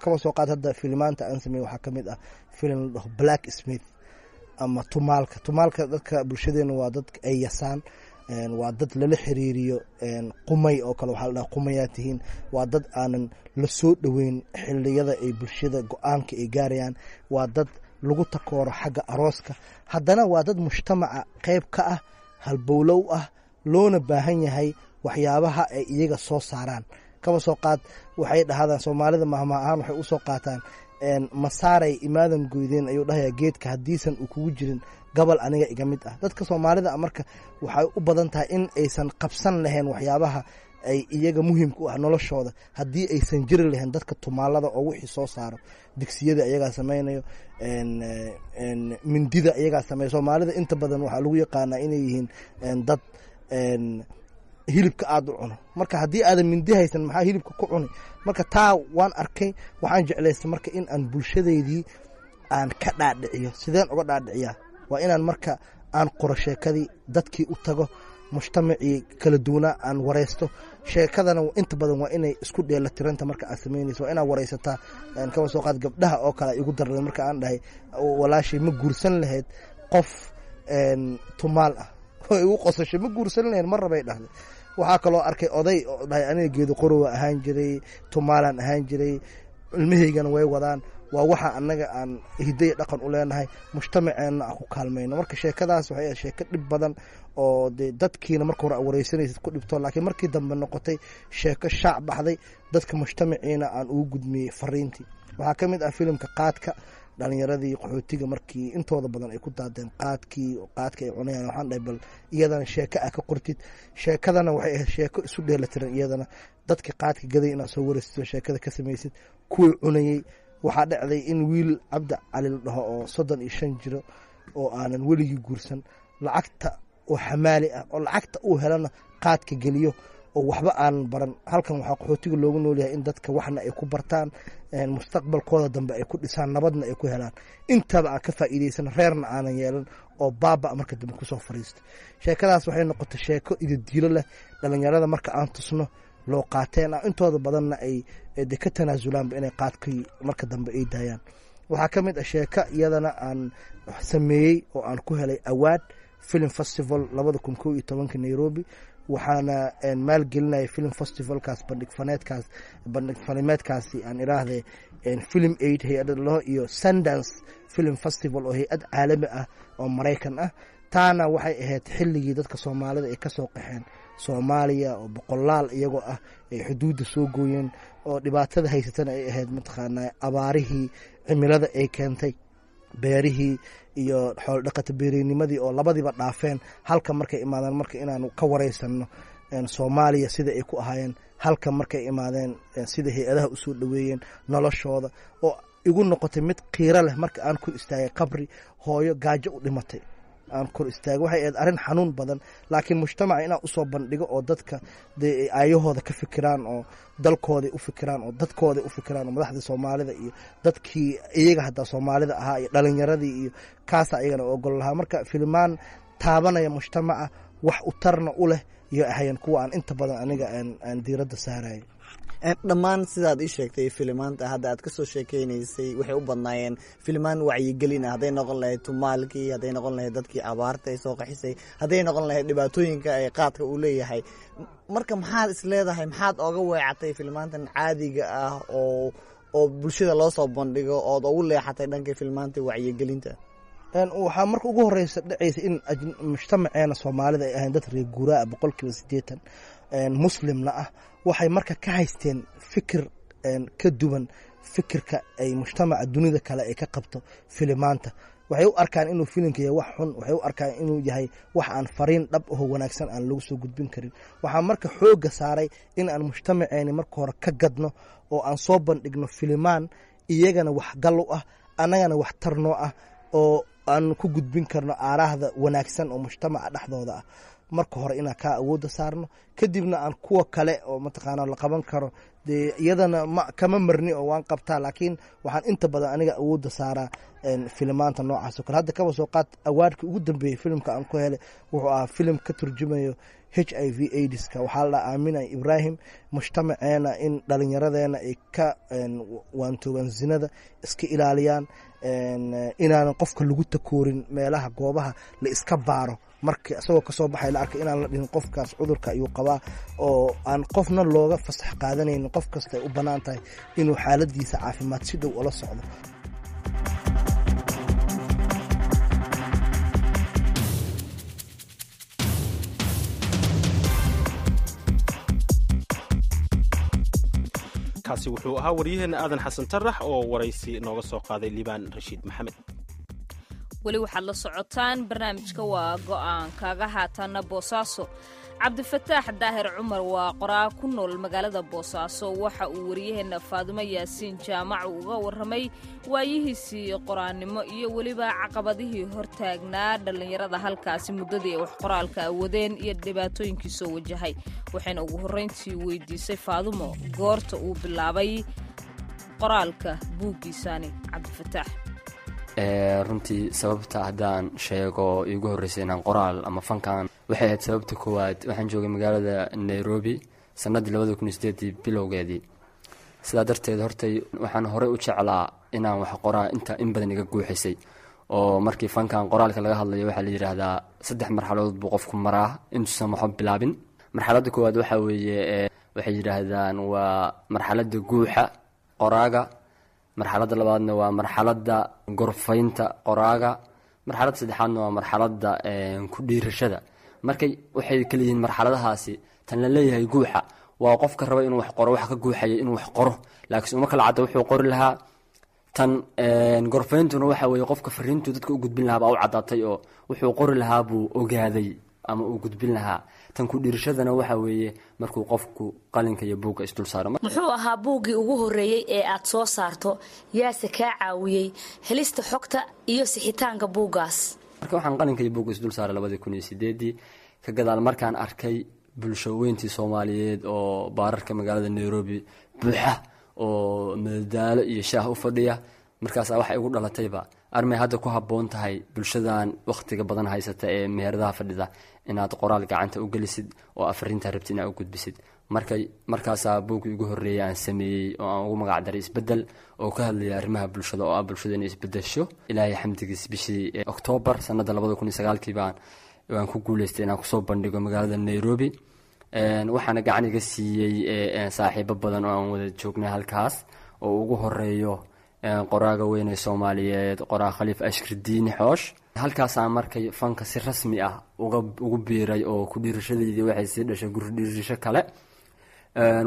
Kaba soo qaad hadda filimaanta aan sameey waxaa ka mid ah filim la dhaho Black Smith ama Tumaalka. Tumaalka dadka bulshadeena waa dad ay yasaan, waa dad lala xiriiriyo qumay oo kale, waxaa la dhaha qumayaa tihiin, waa dad aanan la soo dhoweyn xilliyada ay bulshada go-aanka ay gaarayaan, waa dad lagu takooro xagga arooska, haddana waa dad mujtamaca qayb ka ah, halbowlow ah, loona baahan yahay waxyaabaha ay iyaga soo saaraan. Kaba soo qaad, waxay dhahdaan Soomaalida mahma ahaan waxay usoo qaataan, "Masaaray imaadan goydeen," ayuu dhahayaa geedka, "haddiisan uu kugu jirin gobol aniga iga mid ah." Dadka Soomaalida marka waxay u badan tahay in aysan qabsan lahayn waxyaabaha ay iyaga muhiimka u ah noloshooda haddii aysan jiri lahayn dadka tumaalada oo wixii soo saaro. Digsiyada iyagaa samaynayo, mindida iyagaa sameeyo. Soomaalida inta badan waxaa lagu yaqaanaa inay yihiin dad hilibka aada u cuno. Marka haddii aadan mindi haysan, maxaa hilibka ku cuni? Marka taa waan arkay, waxaan jeclaystay marka in aan bulshadeydii aan ka dhaadhiciyo. Sideen uga dhaadhiciyaa? Waa inaan marka aan qoro sheekadii, dadkii u tago, mujtamacii kala duwanaa aan wareysto. Sheekadana inta badan waa inay isku dheelatiranta. Marka aad samaynayso waa inaad wareysataa. Kaba soo qaad gabdhaha oo kale igu darday marka aan dhahay, "Walaashay, ma guursan lahayd qof tumaal ah?" Way igu qosashay. "Ma guursan lahayn, mar rabay," dhahday. Waxaa kaloo arkay oday oo dhahay, "Aniga geedo qorowa ahaan jiray, tumaalaan ahaan jiray, ilmahaygana way wadaan. Waa waxa annaga aan hidaya dhaqan u leenahay, mujtamaceenna aan ku kaalmayno." Marka sheekadaas waxay ahayd sheeko dhib badan oo dee dadkiina marka hore wareysanaysid ku dhibto, laakiin markii dambe noqotay sheeko shaac baxday, dadka mujtamaciina aan ugu gudmiyey fariintii. Waxaa ka mid ah filimka qaadka. Dhalinyaradii qaxootiga markii intooda badan ay ku daadeen qaadkii, qaadka ay cunayaan, waxaan dhahay, "Bal iyadana sheeko ah ka qortid." Sheekadana waxay ahayd sheeko isu dheelatiran. Iyadana dadka qaadka gaday inaad soo wareysatid oo sheekada ka samaysid, kuwii cunayey. Waxaa dhacday in wiil Cabdi Cali la dhaho oo soddon iyo shan jiro oo aanan weligii guursan, lacagta oo xamaali ah, oo lacagta uu helana qaadka geliyo, oo waxba aanan baran. Halkan waxaa qaxootiga loogu noolyahay in dadka waxna ay ku bartaan, mustaqbalkooda dambe ay ku dhisaan, nabadna ay ku helaan. Intaba aan ka faa'iidaysan, reerna aanan yeelan, oo baaba marka dambe kusoo fariisto. Sheekadaas waxay noqotay sheeko ididiilo leh. Dhalinyarada marka aan tusno, loo qaateen ah, intooda badanna ay de ka tanaasulaanba inay qaadkii marka dambe ay daayaan. Waxaa ka mid ah sheeko iyadana aan sameeyey oo aan ku helay award film festival labada kun kow iyo tobanka Nairobi. Waxaana maalgelinaya film festivalkaas, bandhig faneedkaas, bandhig fanimeedkaasi aan iraahde, Film Aid hay-adda laho iyo Sundance Film Festival oo hay-ad caalami ah oo Maraykan ah. Taana waxay ahayd xilligii dadka Soomaalida ay kasoo qaxeen Soomaaliya oo boqolaal iyagoo ah ay xuduudda soo gooyeen, oo dhibaatada haysatana ay ahayd mataqaanaa abaarihii cimilada ay keentay, beerihii iyo xooldhaqata beereynimadii oo labadiiba dhaafeen. Halka markay imaadeen marka inaanu ka wareysano Soomaaliya sida ay ku ahaayeen, halka markay imaadeen sida hay-adaha usoo dhoweeyeen, noloshooda oo igu noqotay mid qiiro leh marka aan kor istaagay qabri hooyo gaajo u dhimatay aan kor istaagay. Waxay ahayd arrin xanuun badan, laakiin mujtamaca inaan usoo bandhigo oo dadka dee ay aayahooda ka fikiraan oo dalkooday u fikiraan oo dadkooday u fikiraan oo madaxda Soomaalida iyo dadkii iyaga haddaa Soomaalida ahaa iyo dhalinyaradii iyo kaasa iyagana ogol lahaa. Marka filimaan taabanaya mujtamaca, wax u tarna u leh iyo ahayen kuwa aan inta badan aniga aan diiradda saarayay. Dhammaan sidaad ii sheegtay, filimaanta hadda aad kasoo sheekeynaysay waxay u badnaayeen filimaan wacyigelin ah, hadday noqon lahayd tumaalkii, hadday noqon lahayd dadkii abaarta ay soo qaxisay, hadday noqon lahayd dhibaatooyinka ay qaadka uu leeyahay. Marka maxaad is leedahay, maxaad ooga weecatay filimaantan caadiga ah oo oo bulshada loo soo bandhigo ood ugu leexatay dhanka filimaanta wacyigelinta? Waxaa marka ugu horeysa dhacaysa in mujtamaceena Soomaalida ay ahayn dad reer guuraa boqolkiiba siddeetan, muslimna ah. Waxay marka ka haysteen fikir ka duwan fikirka ay mujtamaca dunida kale ay ka qabto filimaanta. Waxay u arkaan inuu filimka yahay wax xun, waxay u arkaan inuu yahay wax aan fariin dhab aho wanaagsan aan lagu soo gudbin karin. Waxaa marka xoogga saaray in aan mujtamaceeni marka hore ka gadno oo aan soo bandhigno filimaan iyagana wax gal u ah, annagana wax tarnoo ah, oo aan ku gudbin karno aaraahda wanaagsan oo mujtamaca dhexdooda ah. Marka hore inaan kaa awoodda saarno, kadibna aan kuwa kale oo mataqaana la qaban karo dee iyadana ma kama marni oo waan qabtaa, laakiin waxaan inta badan aniga awoodda saaraa filimaanta noocaas oo kale. Hadda kaba soo qaad award-kii ugu dambeeyey filimka aan ku helay wuxuu ahaa filim ka turjumayo H I V AIDS-ka. Waxaa la dhaha Aamina Ibraahim. Mujtamaceena in dhalinyaradeena ay ka waantoogaan zinada, iska ilaaliyaan, inaanan qofka lagu takoorin meelaha goobaha la iska baaro, marka isagoo kasoo baxay la arkay inaan la dhihin qofkaas cudurka ayuu qabaa, oo aan qofna looga fasax qaadanaynin, qof kasta ay u bannaan tahay inuu xaaladiisa caafimaad si dhow ula socdo. Kaasi wuxuu ahaa waryaheenna Aadan Xasan Tarax oo waraysi nooga soo qaaday Liibaan Rashiid Maxamed. Weli waxaad la socotaan barnaamijka Waa Go'aankaaga. Haatanna Boosaaso. Cabdifataax Daahir Cumar waa qoraa ku nool magaalada Boosaaso. Waxa uu wariyaheenna Faadumo Yaasiin Jaamac uga warramay waayihiisii qoraannimo iyo weliba caqabadihii hortaagnaa dhallinyarada halkaasi muddadii ay wax qoraalka awadeen iyo dhibaatooyinkii soo wajahay. Waxayna ugu horrayntii weydiisay Faadumo goorta uu bilaabay qoraalka buuggiisaani Cabdifataax. Runtii sababta haddaan sheego iigu horreysay inaan qoraal ama fankan, waxay ahayd sababta koowaad, waxaan joogay magaalada Nairobi sanadii labada kun iyo sideedii bilowgeedii. Sidaa darteed hortay waxaan horey u jeclaa inaan wax qoraa, inta in badan iga guuxisay. Oo markii fankan qoraalka laga hadlayo, waxaa la yidhaahdaa saddex marxaladood buu qofku maraa intuusan waxba bilaabin. Marxaladda koowaad waxaa weeye, waxay yidhaahdaan, waa marxaladda guuxa qoraaga. Marxaladda labaadna waa marxaladda gorfaynta qoraaga. Marxaladda saddexaadna waa marxaladda ku dhiirashada. Markay waxay kala yihiin marxaladahaasi, tan la leeyahay guuxa waa qofka raba inuu wax qoro, wax ka guuxaya inuu wax qoro, laakiin uma kala cadda wuxuu qori lahaa. Tan gorfayntuna waxa weeye qofka fariintuu dadka u gudbin lahaa baa u caddaatay, oo wuxuu qori lahaa buu ogaaday ama uu gudbin lahaa. Tan ku dhiirashadana waxa weeye markuu qofku qalinka iyo buugga isdul saaro. Muxuu ahaa buuggii ugu horreeyey ee aad soo saarto? Yaase kaa caawiyey helista xogta iyo sixitaanka buuggaas? Marka waxaan qalinka iyo buugga isdul saaray labadii kun iyo sideedii, ka gadaal markaan arkay bulsho weyntii Soomaaliyeed oo baararka magaalada Nairobi buuxa oo madadaalo iyo shaah u fadhiya. Markaasaa waxay igu dhalatayba, armay hadda ku habboon tahay bulshadan wakhtiga badan haysata ee meheradaha fadhida inaad qoraal gacanta u gelisid oo afrintaa rabtid inaad u gudbisid. Markay markaasaa buuggii ugu horreeyay aan sameeyey oo aan ugu magac daray Isbeddel, oo ka hadlaya arrimaha bulshada, oo ah bulshada inay isbedesho. Ilaahay xamdigiis, bishii Oktoobar sanadda labada kun iyo sagaalkii baan waan ku guuleystay inaan kusoo bandhigo magaalada Nairobi. Waxaana gacan iga siiyey saaxiibo badan oo aan wada joognay halkaas, oo ugu horeeyo qoraaga weyn ee Soomaaliyeed, qoraa Khaliif Ashkir Diini Xoosh. Halkaasaa markay fanka si rasmi ah uga ugu biiray, oo ku dhiirashadeydii waxay sii dhashay gurdhiirasho kale.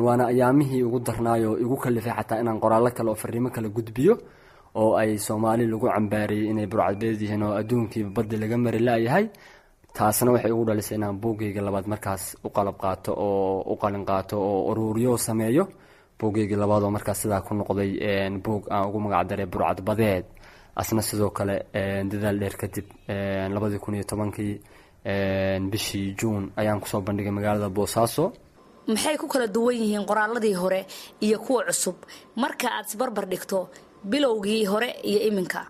Waana ayaamihii ugu darnaayoo igu kalifay xataa inaan qoraallo kale oo fariimo kale gudbiyo, oo ay Soomaali lagu cambaariyey inay burcadbeed yihiin oo adduunkiiba baddi laga mari laayahay. Taasna waxay ugu dhalisay inaan buuggayga labaad markaas u qalab qaato oo u qalin qaato oo uruuriyo sameeyo buuggaygii labaad, oo markaas sidaa ku noqday buug aan ugu magac daray Burcadbadeed. Asna sidoo kale dadaal dheer kadib, labadii kun iyo tobankii bishii Juun ayaan kusoo bandhigay magaalada Boosaaso. Maxay ku kala duwan yihiin qoraaladii hore iyo kuwa cusub marka aad isbarbar dhigto bilowgii hore iyo iminka?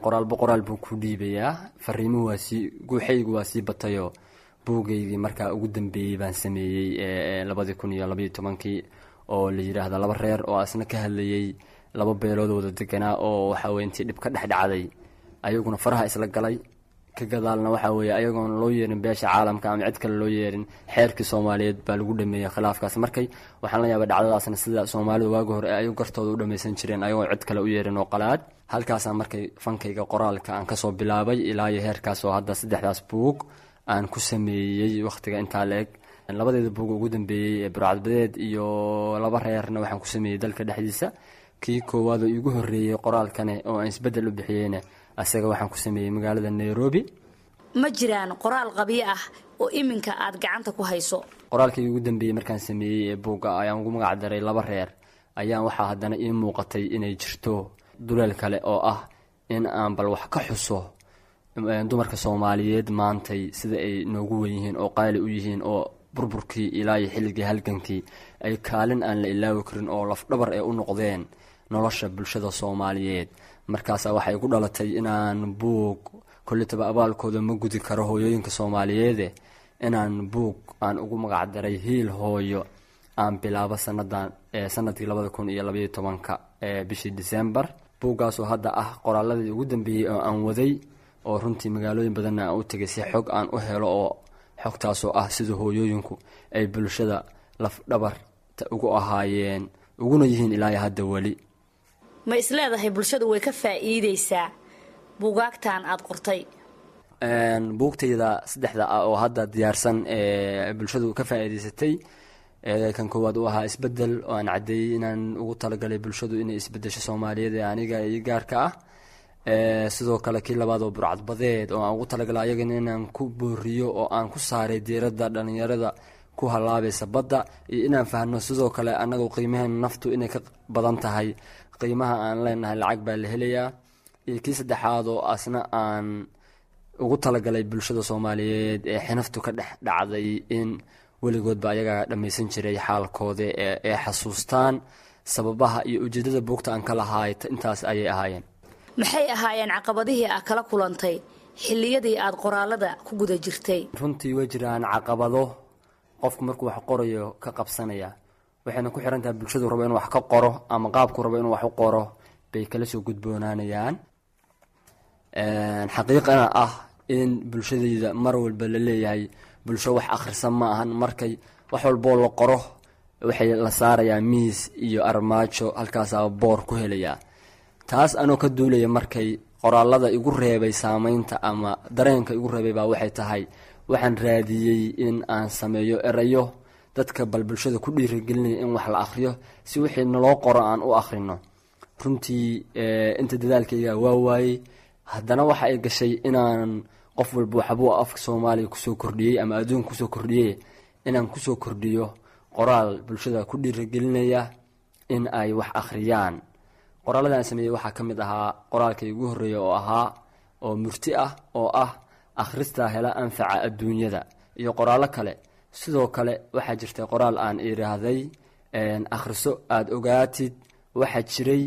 Qoraalba qoraal buu ku dhiibayaa, fariimuhu waa sii, guuxaygu waa sii batayoo buuggaygii markaa ugu dambeeyey baan sameeyey labadii kun iyo labaiyo tobankii oo la yidhaahda Laba Reer, oo asna ka hadlayey laba beelood wada deganaa oo waxa weye intii dhib ka dhex dhacday ayaguna faraha isla galay. Ka gadaalna waxaa weeye ayagoon loo yeerin beesha caalamka ama cid kale loo yeerin, xeerkii Soomaaliyeed baa lagu dhameeyey khilaafkaas. Markay waxaan la yaabay dhacdadaasna, sida Soomaalidu waagi hore ayagu gartooda u dhameysan jireen ayagoon cid kale u yeerin oo qalaad. Halkaasaa markay fankayga qoraalka aan kasoo bilaabay ilaa iyo heerkaas, oo hadda saddexdaas buug aan ku sameeyey wakhtiga intaa la-eg. Labadeeda buug ugu dambeeyey ee Burcadbadeed iyo Laba Reerna waxaan ku sameeyey dalka dhexdiisa. Kii koowaad oo iigu horreeyey qoraalkane oo aan Isbeddel u bixiyeyna, asaga waxaan ku sameeyey magaalada Nairobi. Ma jiraan qoraal qabyo ah oo iminka aad gacanta ku hayso? Qoraalkii ugu dambeeyey markaan sameeyey ee buugga ayaan ugu magac daray Laba Reer, ayaan waxaa haddana ii muuqatay inay jirto duleel kale oo ah in aan bal wax ka xuso dumarka Soomaaliyeed maantay sida ay noogu wen yihiin oo qaali u yihiin, oo burburkii ilaa iyo xilligii halgankii ay kaalin aan la ilaawi karin oo lafdhabar ee u noqdeen nolosha bulshada Soomaaliyeed. Markaasaa waxay ku dhalatay inaan buug, kolletaba abaalkooda ma gudi karo hooyooyinka Soomaaliyeede, inaan buug aan ugu magac daray Hiil Hooyo aan bilaabo sanadan, sanadkii labada kun iyo labaiyo tobanka bishii December. Buuggaasoo hadda ah qoraaladii ugu dambeeyey oo aan waday, oo runtii magaalooyin badanna aan u tegay si xog aan u helo, oo xogtaasoo ah sida hooyooyinku ay bulshada lafdhabarta ugu ahaayeen uguna yihiin ilaa iyo hadda weli. Ma isleedahay bulshadu way ka faa'iideysaa buugaagtan aad qortay? Buugtayda saddexda ah oo hadda diyaarsan ee bulshadu ka faa'iideysatay, Kan koowaad uu ahaa isbedel, oo aan caddeeyey inaan ugu talagalay bulshadu inay isbedesho Soomaaliyeed ee aniga iyo gaarka ah. Sidoo kale kii labaad oo burcadbadeed, oo aan ugu talagalay ayagana inaan ku booriyo oo aan ku saaray diiradda dhalinyarada ku halaabaysa badda, iyo inaan fahno sidoo kale annagu qiimaheena naftu inay ka badan tahay qiimaha aan leenahay lacag baa la helayaa. Iyo kii saddexaad oo asna aan ugu talagalay bulshada Soomaaliyeed ee xinaftu ka dhex dhacday, in weligoodba ayagaa dhammaysan jiray xaalkooda ee xasuustaan sababaha iyo ujeedada buugta aan ka lahaay. Intaas ayay ahaayeen. Maxay ahaayeen caqabadihii aad kala kulantay xilliyadii aad qoraalada ku guda jirtay? Runtii way jiraan caqabado qofku markuu wax qorayo ka qabsanaya, waxayna ku xiran tahay bulshadu rabo inuu wax ka qoro ama qaabku rabo inuu wax u qoro bay kala soo gudboonaanayaan. Xaqiiqana ah in bulshadayda mar walba la leeyahay bulsho wax akhrisa ma ahan. Markay wax walboo la qoro waxay la saarayaa miis iyo armaajo, halkaasaa boor ku helayaa. Taas anoo ka duulaya, markay qoraalada igu reebay saameynta ama dareenka igu reebay baa waxay tahay, waxaan raadiyey in aan sameeyo erayo dadka bal bulshada ku dhiirigelinaya in wax la akhriyo, si wixii naloo qoro aan u akhrino. Runtii inta dadaalkayga waa waayey, haddana waxa ay gashay inaan qof walba waxbuu afka Soomaaliya kusoo kordhiyey ama adduunka kusoo kordhiyey, inaan kusoo kordhiyo qoraal bulshada ku dhiirigelinaya in ay wax akhriyaan. Qoraalladan sameeyey waxaa ka mid ahaa qoraalkay ugu horreeya oo ahaa oo murti ah oo ah "Akhrista hela anfaca adduunyada", iyo qoraallo kale. Sidoo kale waxaa jirtay qoraal aan idhaahday "Akhriso aada ogaatid waxa jiray,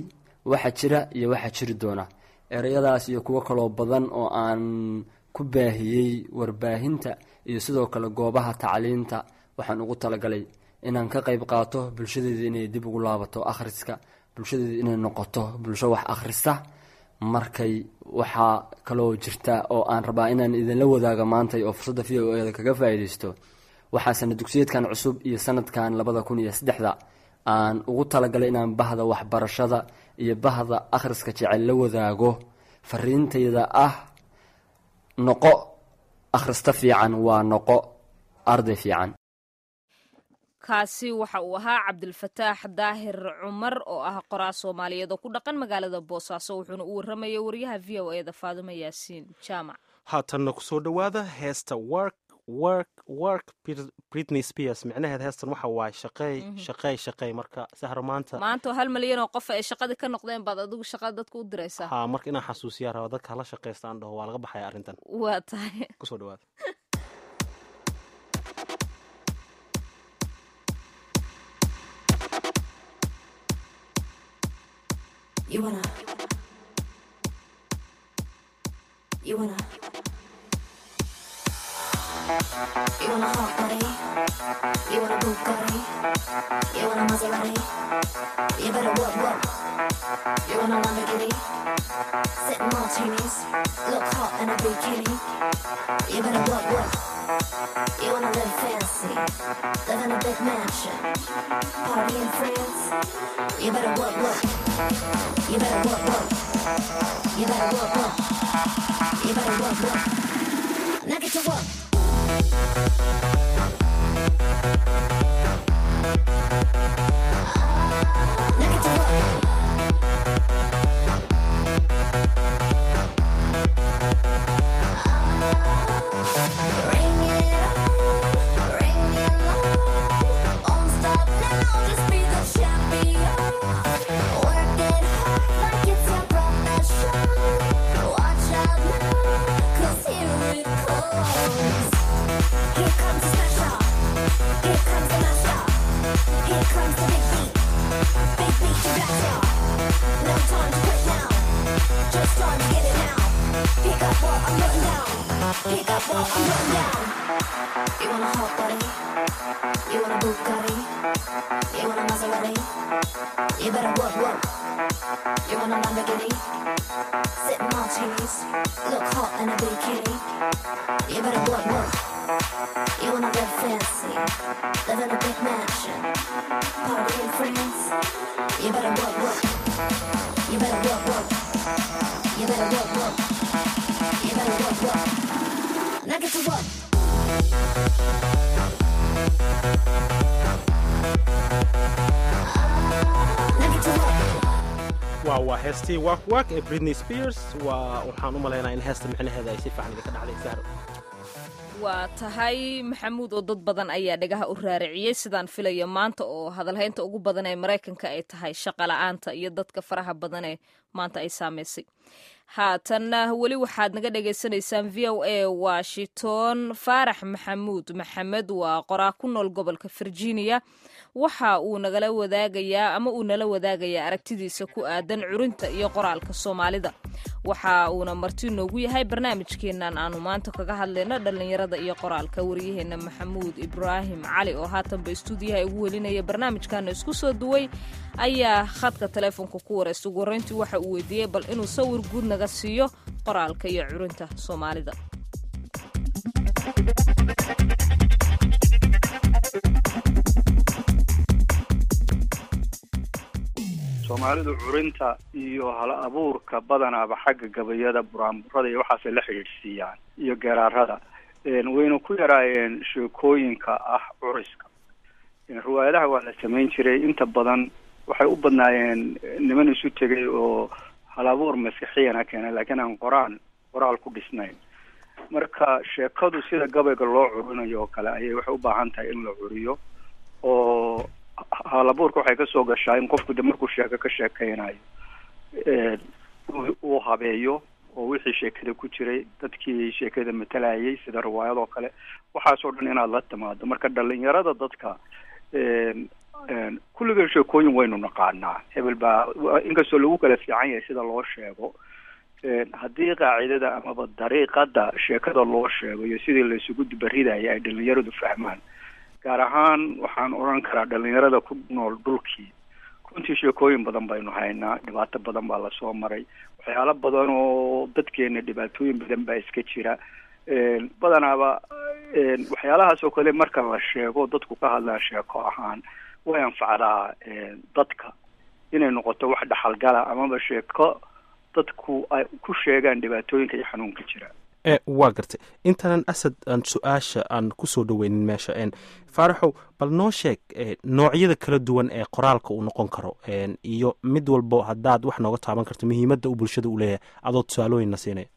waxa jira iyo waxa jiri doona". Ereyadaas iyo kuwo kaloo badan oo aan ku baahiyey warbaahinta iyo sidoo kale goobaha tacliinta, waxaan ugu talagalay inaan ka qayb qaato bulshadeeda inay dib ugu laabato akhriska, bulshadeeda inay noqoto bulsho wax akhrista. Markay waxaa kaloo jirta oo aan rabaa inaan idinla wadaago maantay oo fursadda V O A da kaga faa'iidaysto, waxaa sana dugsiyeedkan cusub iyo sanadkan labada kun iyo saddexda aan ugu talagalay inaan bahda waxbarashada iyo bahda akhriska jecel la wadaago fariintayda ah: noqo akhrista fiican, waa noqo arday fiican. Kaasi waxa uu ahaa Cabdilfataax Daahir Cumar oo ah qoraa Soomaaliyeed oo ku dhaqan magaalada Boosaaso, wuxuuna u warramayay wariyaha V O A da Faadimo Yaasiin Jaamac. Haatanna kusoo dhowaada heesta "Work, Work, Work", Britney Spears. Micnaheed heestan waxa waaye shaqeey, shaqeey, shaqeey. Marka Sahro, maanta Maanta oo hal malyan oo qof ay shaqadii ka noqdeen baad adigu shaqada dadka u diraysaa. Ha, marka inaan xasuusiyaa raba dadka hala shaqeysta, aan dhaho waa laga baxaya arrintan. Waa tahay. Kusoo dhawaada. You wanna. You wanna. You want a hot body? You want a Bugatti? You want a Maserati? You better work, work. You want a Lamborghini? Sip martinis, look hot in a bikini. You better work, work. You wanna live fancy, live in a big mansion, party in France. You better work, work. You better work, work. You better work, work. You better work, work. Now get to work. Now get to work. Bring it on, bring it on. Won't stop now, just be the champion. Work it hard like it's your profession. Watch out now, 'cause here it comes. Here comes the smasher. Here comes the master. Here comes the big beat. Big beat to blast ya. No time to quit now. Just time to get it now. Pick up what I'm putting down. Pick up what I'm putting down. You want a hot body? You want a Bugatti? You want a Maserati? You better work, work. You want a Lamborghini? Sip martinis, look hot in a bikini. You better work, work. You wanna live fancy, live in a big mansion, party in France. You better work, work. You better work, work. You better work, work. You better work, work. Now get to work. Waa waa heestii Walk Walk ee Britney Spears. Waa waxaan u malaynaa in heesta micnaheeda ay si fiican idinka dhacday, Sahro. Waa tahay, Maxamuud, oo dad badan ayaa dhagaha u raariciyey, sidaan filayo, maanta oo hadalhaynta ugu badan ee Maraykanka ay tahay shaqa la-aanta iyo dadka faraha badan ee maanta ay saameysay. Haatanna weli waxaad naga dhagaysanaysaan V O A Washington. Faarax Maxamuud Maxamed waa qoraa ku nool gobolka Virginia. Waxa uu nagala wadaagayaa ama uu nala wadaagayaa aragtidiisa ku aadan curinta iyo qoraalka Soomaalida. Waxa uuna marti noogu yahay barnaamijkeennan aanu maanta kaga hadlayno dhallinyarada iyo qoraalka. Waryaheena Maxamuud Ibraahim Cali, oo haatanba istuudiyaha ugu welinaya barnaamijkana isku soo duway, ayaa khadka taleefonka ku waraysta. Ugu horreyntii waxa uu weydiiyey bal inuu sawir guud naga siiyo qoraalka iyo curinta Soomaalida. Soomaalidu curinta iyo hal abuurka badanaaba xagga gabayada, buraanburada iyo waxaasay la xidhiidhsiiyaan iyo geeraarada. Wayna ku yaraayeen sheekooyinka ah curiska. Riwaayadaha waa la samayn jiray, inta badan waxay u badnaayeen niman isu tegay oo hal abuur maskaxiyana keenay, laakiin aan qoraan qoraal ku dhisnayn. Marka sheekadu sida gabayga loo curinayo oo kale ayay waxay u baahan tahay in la curiyo, oo hal abuurka waxay kasoo gashaa in qofku de markuu sheeko ka sheekeynayo uu habeeyo oo wixii sheekada ku jiray, dadkii sheekada matalayay, sida riwaayad oo kale, waxaasoo dhan inaad la timaado. Marka dhalinyarada dadka kulligeen sheekooyin waynu naqaanaa, hebel baa, inkastoo lagu kala fiican yahay sida loo sheego. Haddii qaacidada amaba dariiqada sheekada loo sheego iyo sidii la isugu dubaridaya ay dhalinyaradu fahmaan, gaar ahaan waxaan odhan karaa dhalinyarada ku nool dhulkii, runtii sheekooyin badan baynu haynaa. Dhibaato badan baa lasoo maray, waxyaalo badan oo dadkeena dhibaatooyin badan baa iska jira. Badanaaba waxyaalahaas oo kale marka la sheego, dadku ka hadlaan sheeko ahaan, way anfacdaa dadka inay noqoto wax dhaxalgala amaba sheeko dadku ay ku sheegaan dhibaatooyinka iyo xanuunka jira. Waa gartay. Intaanan Asad aan su-aasha aan kusoo dhaweynin meesha, Faaraxow, bal noo sheeg noocyada kala duwan ee qoraalka uu noqon karo, iyo mid walbo haddaad wax nooga taaban karto muhiimadda uu bulshada u leeyahay, adoo tusaalooyinna siinaya.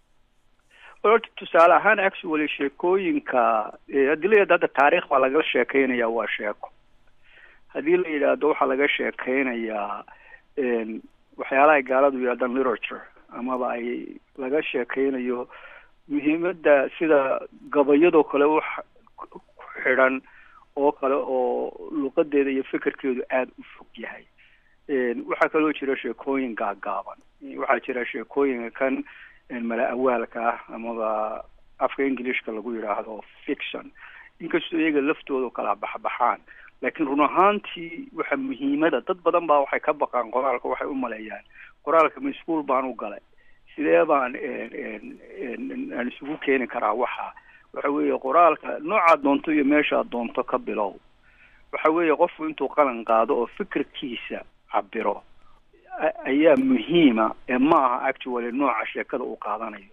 Horta tusaale ahaan, actually, sheekooyinka haddii la yidhahdo hadda taariikh baa laga sheekeynaya, waa sheeko. Haddii la yidhaahdo waxaa laga sheekeynayaa waxyaalaha ay gaaladu yidhahdaan literature, amaba ay laga sheekeynayo muhiimadda sida gabayadoo kale, wax ku xidhan oo kale oo luqadeeda iyo fikirkeedu aada u fog yahay. Waxaa kaloo jira sheekooyin gaagaaban. Waxaa jira sheekooyinka kan mala awaalka ah amaba afka Englishka lagu yidhaahdo fiction, inkastoo iyaga laftooda kala baxbaxaan. Laakiin run ahaantii waxa muhiimada, dad badan baa waxay ka baqaan qoraalka, waxay u maleeyaan qoraalka ma iskuul baan u galay, sidee baan aan isugu keeni karaa? Waxa waxa weeye qoraalka noocaad doonto iyo meeshaad doonto ka bilow. Waxa weeye qofku intuu qalin qaado oo fikirkiisa cabiro ayaa muhiima, ee ma aha actually nooca sheekada uu qaadanayo.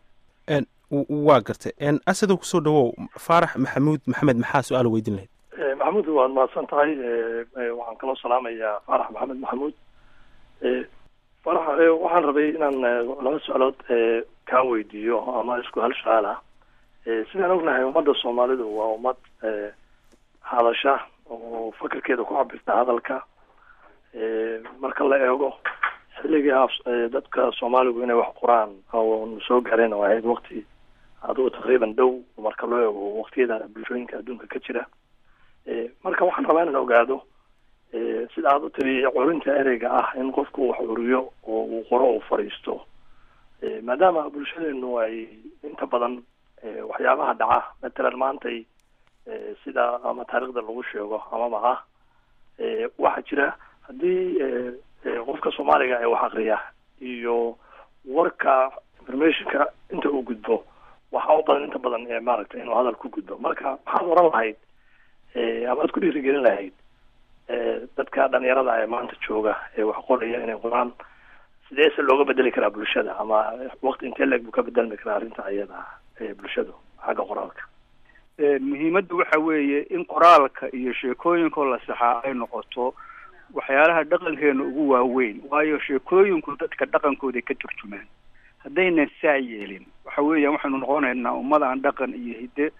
Waa gartay. Asadow, kusoo dhawow Faarax Maxamuud Maxamed. Maxaa su-aal weydiin lahayd? Maxamuud, waad mahadsan tahay. Waxaan kaloo salaamayaa Faarax Maxamed Maxamuud. Faarax, waxaan rabay inaan laba su-aalood kaa weydiiyo ama isku hal su-aal ah. Sidaan ognahay, ummadda Soomaalidu waa ummad hadasha oo fakarkeeda ku cabirta hadalka. Marka la eego xilligii dadka Soomaaligu inay wax qoraan oo soo gaareen oo ahayd waqti adigu taqriiban dhow marka loo eego waqtiyada bulshooyinka adduunka ka jira. Marka waxaan rabaa inaan ogaado, sida aad u tiri, curinta ereyga ah in qofku wax curiyo oo uu qoro oo fariisto, maadaama bulshadeenu ay inta badan waxyaabaha dhaca, matalan maantay sida ama taariikhda lagu sheego amaba ah, waxaa jira haddii qofka Soomaaliga ee wax akriya iyo warka informationka inta uu gudbo, waxaa u badan inta badan maaragtay inuu hadal ku gudbo. Marka maxaad oran lahayd ama aad ku dhiirigelin lahayd dadka dhalinyarada ee maanta jooga ee wax qoraya inay qoraan? Sidee se looga bedeli karaa bulshada, ama waqti intee leeg buu ka bedelmi karaa arrinta ayada ee bulshadu xagga qoraalka? Muhiimaddu waxa weeye in qoraalka iyo sheekooyinkoo la saxaa ay noqoto Waxyaalaha dhaqankeena ugu waaweyn, waayo sheekooyinku dadka dhaqankooda ka turjumaan. Haddaynan saa yeelin, waxa weeyaan waxaynu noqonaynaa ummad aan dhaqan iyo hidde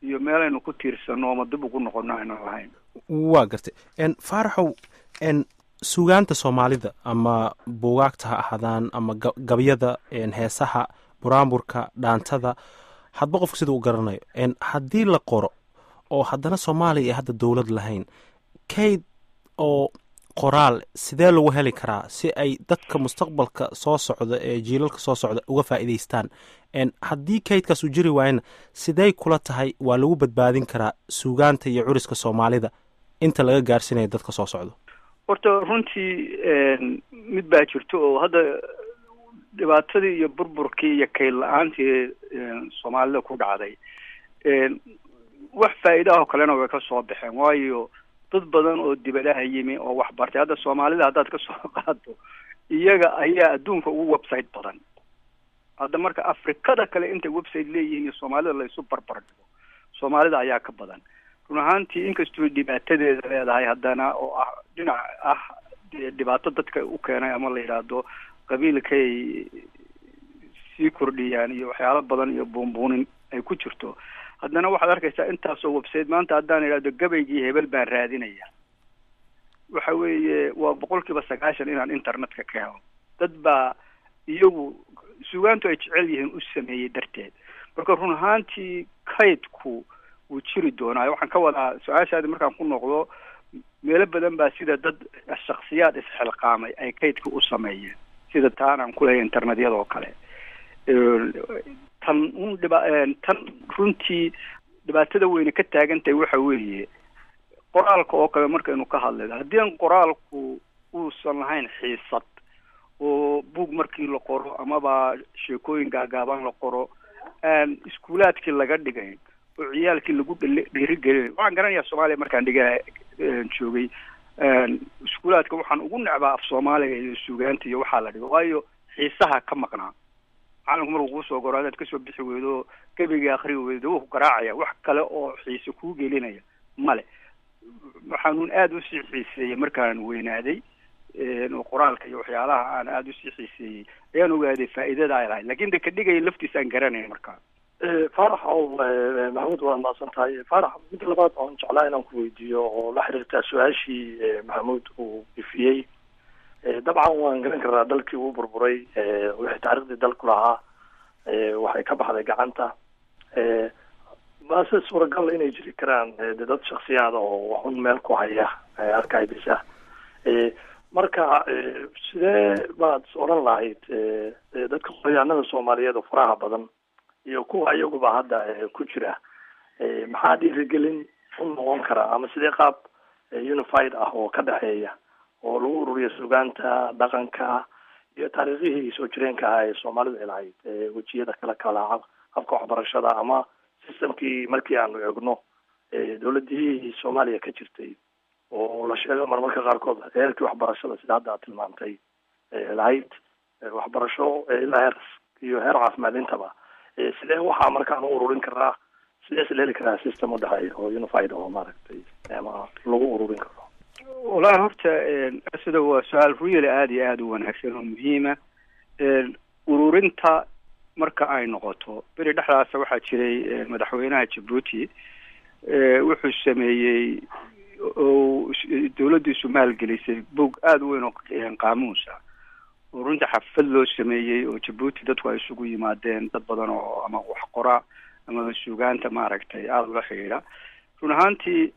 iyo meelaynu ku tiirsanno ama dib ugu noqono aynu lahayn. Waa gartay. Faaraxow, n suugaanta Soomaalida, ama buugaagta ha ahaadaan ama gabyada, heesaha, buraanburka, dhaantada, hadba qofka sida u garanayo, haddii la qoro oo haddana Soomaaliya ay hadda dowlad lahayn, kayd oo qoraal sidee lagu heli karaa si ay dadka mustaqbalka soo socda ee jiilalka soo socda uga faa'iidaystaan? Haddii kaydkaas uu jiri waayana, sidey kula tahay waa lagu badbaadin karaa suugaanta iyo curiska Soomaalida inta laga gaarsiinayo dadka soo socda? Horta runtii mid baa jirto oo hadda dhibaatadii iyo burburkii iyo kayd la-aantii Soomaalida ku dhacday, wax faa'iidaha oo kalena way ka soo baxeen, waayo dad badan oo dibadaha yimi oo wax bartay, hadda Soomaalida haddaad ka soo qaado, iyaga ayaa adduunka ugu website badan hadda. Marka Afrikada kale intay website leeyihiin iyo Soomaalida la isu barbar dhigo, Soomaalida ayaa ka badan run ahaantii. Inkastoo dhibaatadeeda leedahay haddana, oo ah dhinac ah dhibaato dadka u keenay ama la yidhaahdo qabiilkay sii kordhiyaan iyo waxyaalo badan iyo buunbuunin ay ku jirto, haddana waxaad arkaysaa intaasoo website. Maanta haddaan idhahdo gabaygii hebel baan raadinaya, waxa weeye waa boqol kiiba sagaashan inaan internetka ka helo. Dad baa iyagu suugaantu ay jecel yihiin u sameeyey darteed. Marka run ahaantii kaydku wuu jiri doonaa. Waxaan ka wadaa su-aashaadi markaan ku noqdo, meelo badan baa sida dad shaksiyaad isxilqaamay ay kaydka u sameeyeen, sida taan aan kuleeyahay internetyada oo kale. Tan un dhiba tan runtii dhibaatada weyne ka taagan tahay waxa weeye qoraalka oo kale. Markaynu ka hadlayno, haddii aan qoraalku uusan lahayn xiisad oo buug markii la qoro amaba sheekooyin gaagaaban la qoro aan iskuulaadkii laga dhigayn oo ciyaalkii lagu dhiirigelinayn. Waxaan garanayaa Soomaaliya markaan dhiga joogay iskuulaadka, waxaan ugu necbaa af Soomaaliga iyo suugaanta iyo waxaa la dhigo, waayo xiisaha ka maqnaa. Macalinku markuu kuusoo goro, hadaad kasoo bixi weydo, gebiga akri weydo, wuu ku garaacaya. Wax kale oo xiise kuu gelinaya male. Waxaanuun aada usii xiiseeyey markaan weynaaday oo qoraalka iyo waxyaalaha aan aada usii xiiseeyey ayaan ogaaday faa'iidada ay lahayd, lakin de ka dhigaya laftiisa aan garanaya markaa. Faarax ow Maxamuud, waad mahadsan tahay. Faarax, midda labaad oon jeclaa inaan ku weydiiyo oo la xiriirtaa su-aashii Maxamuud uu ifiyey, dabcan waan garan karnaa dalkii uu burburay, wixii taariikhdii dalku lahaa waxay ka baxday gacanta. Mase suuragal inay jiri karaan de dad shaksiyaada oo waxun meel ku haya archives ah? Marka sidee baad odhan lahayd dadka qoryaanada Soomaaliyeed oo faraha badan iyo kuwa iyaguba hadda ku jira, maxaa dhiirigelin u noqon karaa, ama sidee qaab unified ah oo ka dhexeeya oo lagu ururiyo sugaanta, dhaqanka iyo taariikhihii soo jireenka ahaa ee Soomaalidu ay lahayd, wejiyada kala kala habka waxbarashada ama systemkii, markii aanu egno dowladihii Soomaaliya ka jirtay oo la sheego marmarka qaarkood heerkii waxbarashada, sida hadda aad tilmaamtay, lahayd waxbarasho ilaa heer iyo heer caafimaad intaba, sidee waxaa markaan u ururin karaa? Sidee is heli karaa system udhexeeya oo unified oo maaragtay ama lagu ururin karo? Wallahi horta sida waa su-aal really aada iyo aada u wanaagsan oo muhiima. Ururinta marka ay noqoto, beri dhexdaasa waxaa jiray madaxweynaha Jabuuti wuxuu sameeyey oo dawladdiisu maalgelisay bog aada u weyn oo qaamuus ah oo runtii xafad loo sameeyey oo Jabuuti dadku ay isugu yimaadeen, dad badan oo ama wax qora amaba suugaanta maaragtay aada ula xidhiidha. Run ahaantii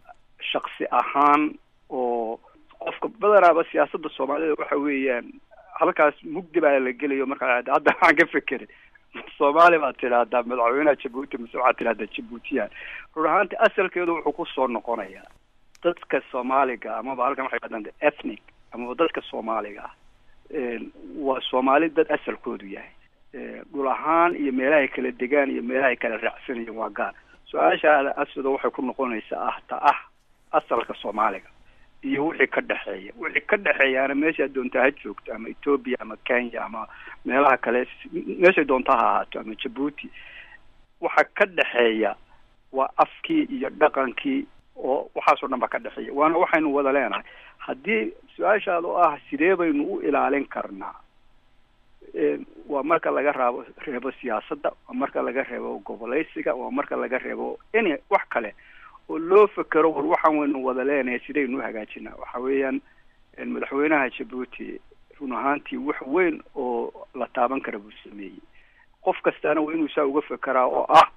shaksi ahaan oo qofka badanaaba siyaasadda Soomaalida waxa weeyaan halkaas mugdi baa la gelayo. Markaa hadda waxaan ka fekeray, Soomaali baad tidhaahdaa madaxweynaha Jabuuti mise waxaad tidhahdaa Jabuutiyan? Run ahaantii asalkeedu wuxuu kusoo noqonayaa dadka Soomaaliga amaba halkan waxay yidhahdaan ethnic amaba dadka Soomaaliga ah waa Soomaali dad asalkoodu yahay dhul ahaan iyo meelahay kala degaan iyo meelahay kala raacsanayeen waa gaar. Su-aashaada asido waxay ku noqonaysaa ah ta ah asalka Soomaaliga iyo wixii ka dhexeeya. Wixii ka dhexeeyaana meeshaad doontaa ha joogto, ama Ethiopia ama Kenya ama meelaha kale, meeshay doontaa ha ahaato, ama Jabuuti, waxa ka dhexeeya waa afkii iyo dhaqankii. Oo waxaasoo dhan ba ka dhexeeya, waana waxaynu wada leenahay. Haddii su-aashaada oo ah sidee baynu u ilaalin karnaa, waa marka laga raabo reebo siyaasadda, waa marka laga reebo gobolaysiga, waa marka laga reebo any wax kale oo loo fekero war waxaan waynu wada leenahay, sidaynu uhagaajinaa. Waxa weeyaan madaxweynaha Jabuuti run ahaantii wax weyn oo la taaban kara buu sameeyey. Qof kastaana waa inuu saa uga fekeraa oo ah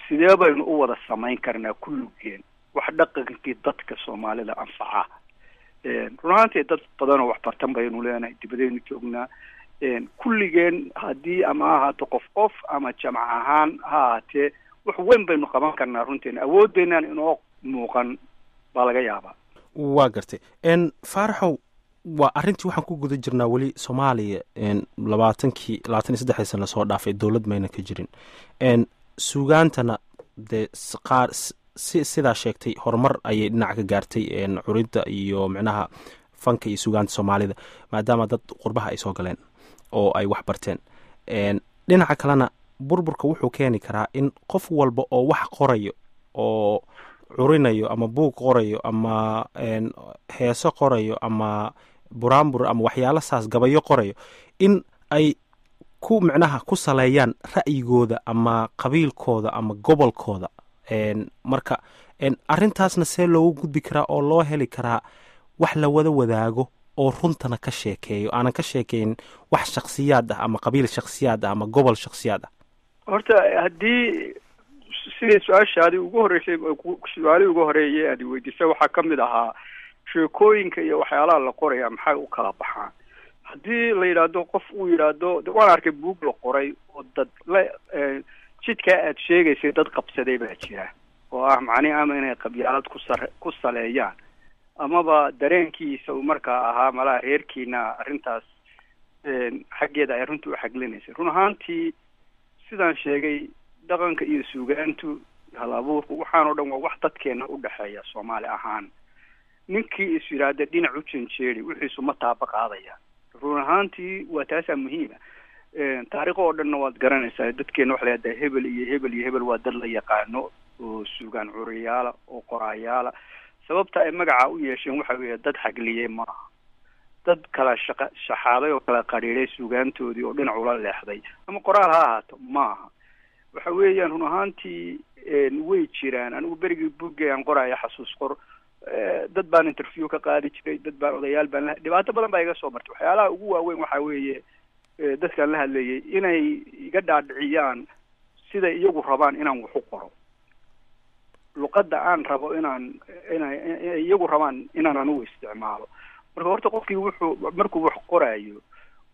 sidee baynu u wada samayn karnaa kulligeen wax dhaqankii dadka Soomaalida anfaca. Run ahaantii dad badan oo wax bartan baynu leenahay, dibadaynu joognaa kulligeen. Haddii ama ha ahaato qof qof ama jamc ahaan ha ahaatee, wax weyn baynu qaban karnaa. Runteena awoodeenaan inoo muuqan baa laga yaabaa. Waa gartay. Faaraxow, waa arrintii waxaan ku guda jirnaa weli Soomaaliya. Labaatankii labaatan iyo saddexdii sana lasoo dhaafay dowlad mayna ka jirin. Suugaantana dee qaar si sidaa sheegtay horumar ayay dhinac ka gaartay, curidda iyo micnaha fanka iyo suugaanta Soomaalida, maadaama dad qurbaha ay soo galeen oo ay wax barteen. Dhinaca kalena burburka wuxuu keeni karaa in qof walba oo wax qorayo oo curinayo ama buug qorayo ama heeso qorayo ama buraanbur ama waxyaalo saas gabayo qorayo in ay ku micnaha ku saleeyaan ra'yigooda ama qabiilkooda ama gobolkooda. Marka arrintaasna see loogu gudbi karaa oo loo heli karaa wax la wada wadaago oo runtana ka sheekeeyo, aanan ka sheekeyn wax shaksiyaad ah ama qabiil shaksiyaad ah ama gobol shaksiyaad ah? Horta haddii sidii su-aashaadii ugu horreysay, su-aalihii ugu horeeyay aad weydiisay waxaa ka mid ahaa sheekooyinka iyo waxyaalaha la qoraya maxay u kala baxaan. Haddii la yidhaahdo qof uu yidhaahdo waan arkay buug la qoray oo dad la jidkaa aad sheegaysay dad qabsaday baa jira oo ah macnihi ama inay qabyaalad ku sar ku saleeyaan amaba dareenkiisa uu markaa ahaa malaha reerkiina arrintaas xaggeeda ay runta u xaglinaysay. Run ahaantii sidaan sheegay, dhaqanka iyo suugaantu, hal abuurku, waxaan oo dhan waa wax dadkeena u dhexeeya Soomaali ahaan. Ninkii is yidhaahda dhinac u janjeeri wixiisu ma taaba qaadaya. Run ahaantii waa taasaa muhiima. Taariikh oo dhanna waad garanaysaa, dadkeena waxa la yidhahdaa hebel iyo hebel iyo hebel waa dad la yaqaano oo suugaan curiyaala oo qoraayaala. Sababta ay magaca u yeesheen waxa weeye dad xagliyey maaha, dad kala shaqa shaxaaday oo kala qadhiiday suugaantoodii oo dhinac ula leexday ama qoraal ha ahaato maaha. Waxa weeyaan run ahaantii way jiraan. Anigu berigii buggay aan qoraya xasuus qor, dad baan interview ka qaadi jiray, dad baan odayaal baan la, dhibaato badan baa iga soo martay. Waxyaalaha ugu waaweyn waxa weeye dadkaan la hadlayay inay iga dhaadhiciyaan siday iyagu rabaan inaan wax u qoro, luqadda aan rabo inaan inay iyagu rabaan inaan anigu isticmaalo. Marka horta qofkii wuxuu markuu wax qoraayo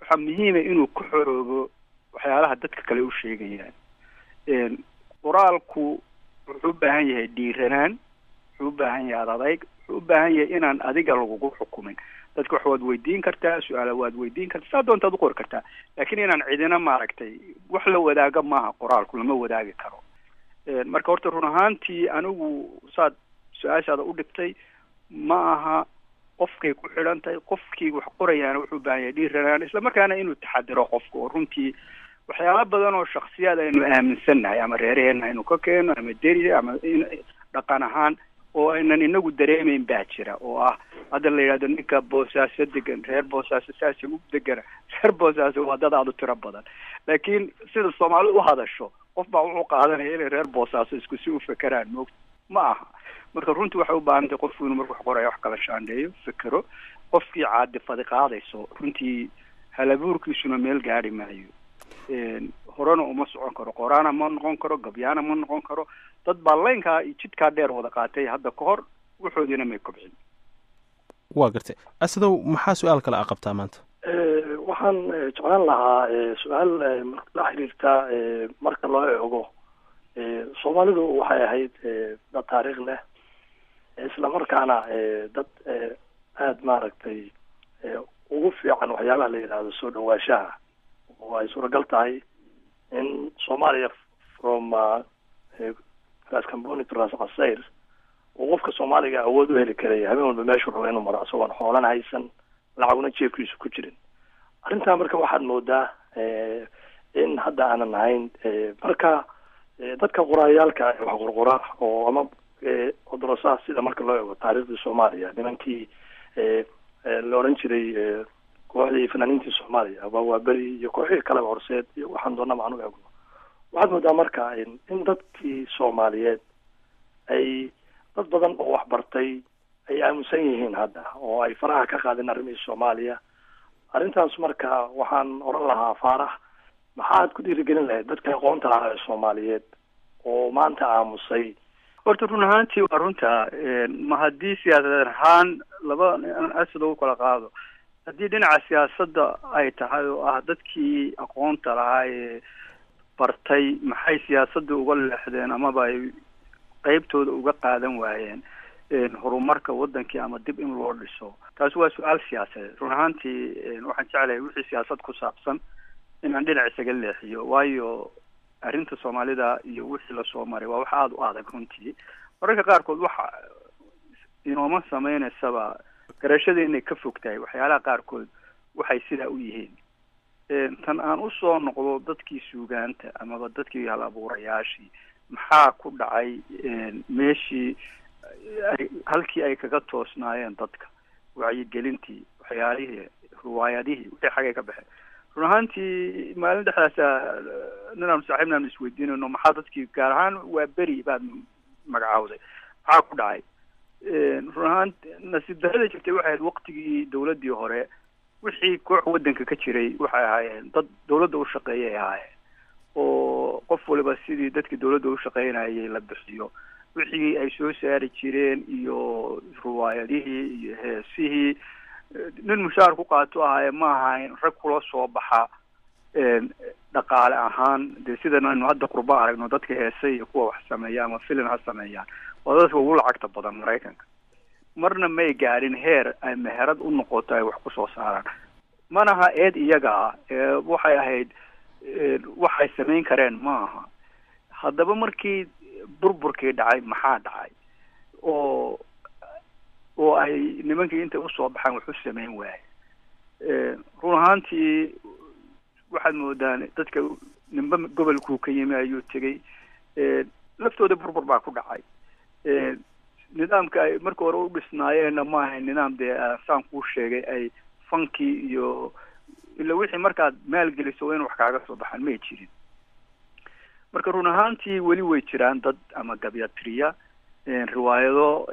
waxaa muhiima inuu ku xoroobo waxyaalaha dadka kale u sheegayaan. Qoraalku wuxuu u baahan yahay dhiiranaan, wuxuu u baahan yahay adadayg, wuxuu u baahan yahay inaan adiga lagugu xukumin. Dadka wax waad weydiin kartaa, su-aala waad weydiin kartaa, saa doontaad u qori kartaa, laakiin inaan cidina maaragtay wax la wadaaga maaha, qoraalku lama wadaagi karo. Marka horta run ahaantii anigu saad su-aashaada u dhigtay ma aha, qofkay ku xidhan tahay. Qofkii wax qorayaana wuxuu u baahan yahay dhiiranaan, isla markaana inuu taxadiro qofka oo runtii waxyaala badan oo shaksiyaad aynu aaminsannahay ama reeraheena aynu ka keeno ama deri ama dhaqan ahaan oo aynan inagu dareemayn baa jira oo ah hadda la yidhahdo ninka Boosaaso degan, reer Boosaaso saasi u degana, reer Boosaaso waa dad aada u tiro badan, laakiin sida Soomaali u hadasho qof baa wuxuu qaadanaya inay reer Boosaaso isku si u fekeraan, moogta ma aha. Marka runtii waxay u baahan tahay qofku inuu marku wax qorayo wax kala shaandheeyo, fekero. Qofkii caadifadi qaadayso runtii halabuurkiisuna meel gaari maayo, horena uma socon karo, qoraana ma noqon karo, gabyaana ma noqon karo. Dad baa laynkaa iyo jidkaa dheer wada qaatay hadda ka hor, waxoodiina may kobcin. Waa gartay. Asadow, maxaa su-aal kale a qabtaa maanta? Waxaan jeclaan lahaa su-aal la xiriirta marka loo eego Soomaalidu waxay ahayd dad taariikh leh, isla markaana dad aada maaragtay ugu fiican waxyaabaha la yidhaahdo soo dhawaashaha, oo ay suuragal tahay in Soomaaliya from Ras Camboni to Ras Casayr uu qofka Soomaaliga awood u heli karaya habeen walba meeshuu rabo inuu maro isagoon xoolan haysan, lacaguna jeebkiisu ku jirin. Arrintaa marka waxaad moodaa in hadda aanan ahayn. Marka dadka qoraayaalka wax qorqora oo ama Odorosaha sida marka loo eego taariikhdii Soomaaliya, nimankii la odhan jiray kooxdii fanaaniintii Soomaaliya waa Waaberi iyo kooxihii kaleba, Horseed iyo waxaan doonaba aan u eegno, waxaad moodaa marka in dadkii Soomaaliyeed ay dad badan oo wax bartay ay aaminsan yihiin hadda oo ay faraha ka qaadeen arrimihii Soomaaliya. Arrintaas marka waxaan odhan lahaa, Faarax, maxaad ku dhiirigelin lahayd dadka aqoonta lahaa ee Soomaaliyeed oo maanta aamusay? Horta run ahaantii waa runta. Ma haddii siyaasad ahaan laba asad ugu kala qaado, haddii dhinaca siyaasadda ay tahay oo ah dadkii aqoonta lahaa ee bartay maxay siyaasadda uga leexdeen amaba ay qeybtooda uga qaadan waayeen horumarka wadankii ama dib in loo dhiso, taasi waa su-aal siyaasadeed. Run ahaantii waxaan jeclahay wixii siyaasad ku saabsan inaan dhinac isaga leexiyo, waayo arrinta Soomaalida iyo wixii lasoo maray waa wax aada u adag runtii. Mararka qaarkood waxa inooma sameynaysaba garashada inay ka fog tahay waxyaalaha qaarkood waxay sidaa u yihiin. Tan aan usoo noqdo dadkii suugaanta amaba dadkii hal abuurayaashii, maxaa ku dhacay meeshii ay halkii ay kaga toosnaayeen dadka wacyigelintii, waxyaalihii, riwaayadihii, wixii xagay ka baxeen? Run ahaantii maalin dhexdaasa ninaanu saaxiibna aanu isweydiinayno maxaa dadkii gaar ahaan waa beri baad magacaawday maxaa ku dhacay. Run ahaan nasiib darrada jirtay waxay ahayd waqtigii dawladdii hore wixii koox waddanka ka jiray waxay ahaayeen dad dawladda u shaqeeyay ahaayeen, oo qof waliba sidii dadkii dawladda u shaqeynayay la bixiyo wixii ay soo saari jireen iyo riwaayadihii iyo heesihii nin mushaar ku qaato ahaaye ma ahayn rag kula soo baxa dhaqaale ahaan. Dee sidan aynu hadda qurba aragno dadka heese iyo kuwa wax sameeya ama filin ha sameeyaan waa dadka ugu lacagta badan Maraykanka, marna may gaadhin heer ay meherad u noqoto ay wax kusoo saaraan. Manaha eed iyaga ah, waxay ahayd waxay samayn kareen ma aha. Haddaba markii burburkii dhacay maxaa dhacay oo oo ay nimankii intay usoo baxaan wax u samayn waaye? Run ahaantii waxaad moodaan dadka ninba gobolkuu ka yimi ayuu tegey, laftooda burbur baa ku dhacay. Nidaamka ay marka hore u dhisnaayeenna ma ahayn nidaam dee saan kuu sheegay ay fankii iyo ila wixii markaad maalgeliso waa in wax kaaga soo baxaan may jirin. Marka run ahaantii weli way jiraan dad ama gabyatiriya riwaayado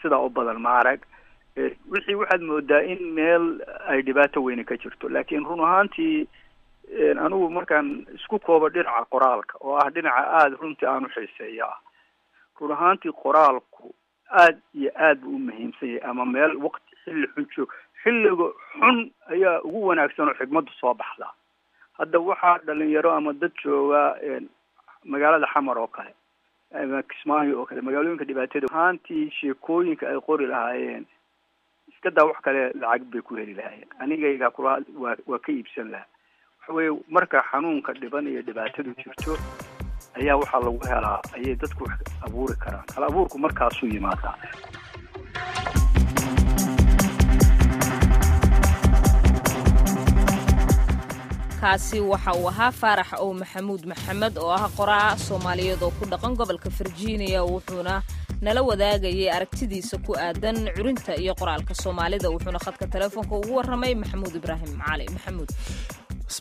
sidaa u badan ma arag. Wixii waxaad moodaa in meel ay dhibaato weyne ka jirto, laakiin run ahaantii anigu markaan isku koobo dhinaca qoraalka oo ah dhinaca aada runtii aan u xiiseeya ah, run ahaantii qoraalku aad iyo aad buu u muhiimsan yahay. Ama meel waqti xilli xun joog, xilliga xun ayaa ugu wanaagsan oo xigmaddu soo baxdaa. Hadda waxaa dhalinyaro ama dad jooga magaalada Xamar oo kale ama Kismaayo oo kale, magaalooyinka dhibaatada ahaantii sheekooyinka ay qori lahaayeen iska daa wax kale lacag bay ku heli lahaayeen, anigayga kula waa waa ka iibsan lahaa. Waxa weeye marka xanuunka dhiban iyo dhibaatadu jirto ayaa waxaa lagu helaa ayay dadku wax abuuri karaan. Hal abuurku markaasuu yimaadaa. Kaasi waxa uu ahaa Faarax ow Maxamuud Maxamed oo ah qoraa Soomaaliyeed oo ku dhaqan gobolka Virginia, wuxuuna nala wadaagayay aragtidiisa ku aadan curinta iyo qoraalka Soomaalida, wuxuuna khadka telefoonka ugu warramay Maxamuud Ibraahim Cali Maxamuud.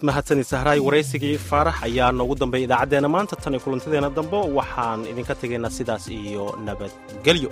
Mahadsanid Sahraay. Waraysigii Faarax ayaa noogu dambeeyay idaacaddeenna maanta. Tan iyo kulantadeena dambe waxaan idinka tegaynaa sidaas iyo nabadgelyo.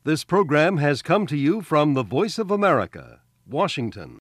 This program has come to you from the Voice of America, Washington.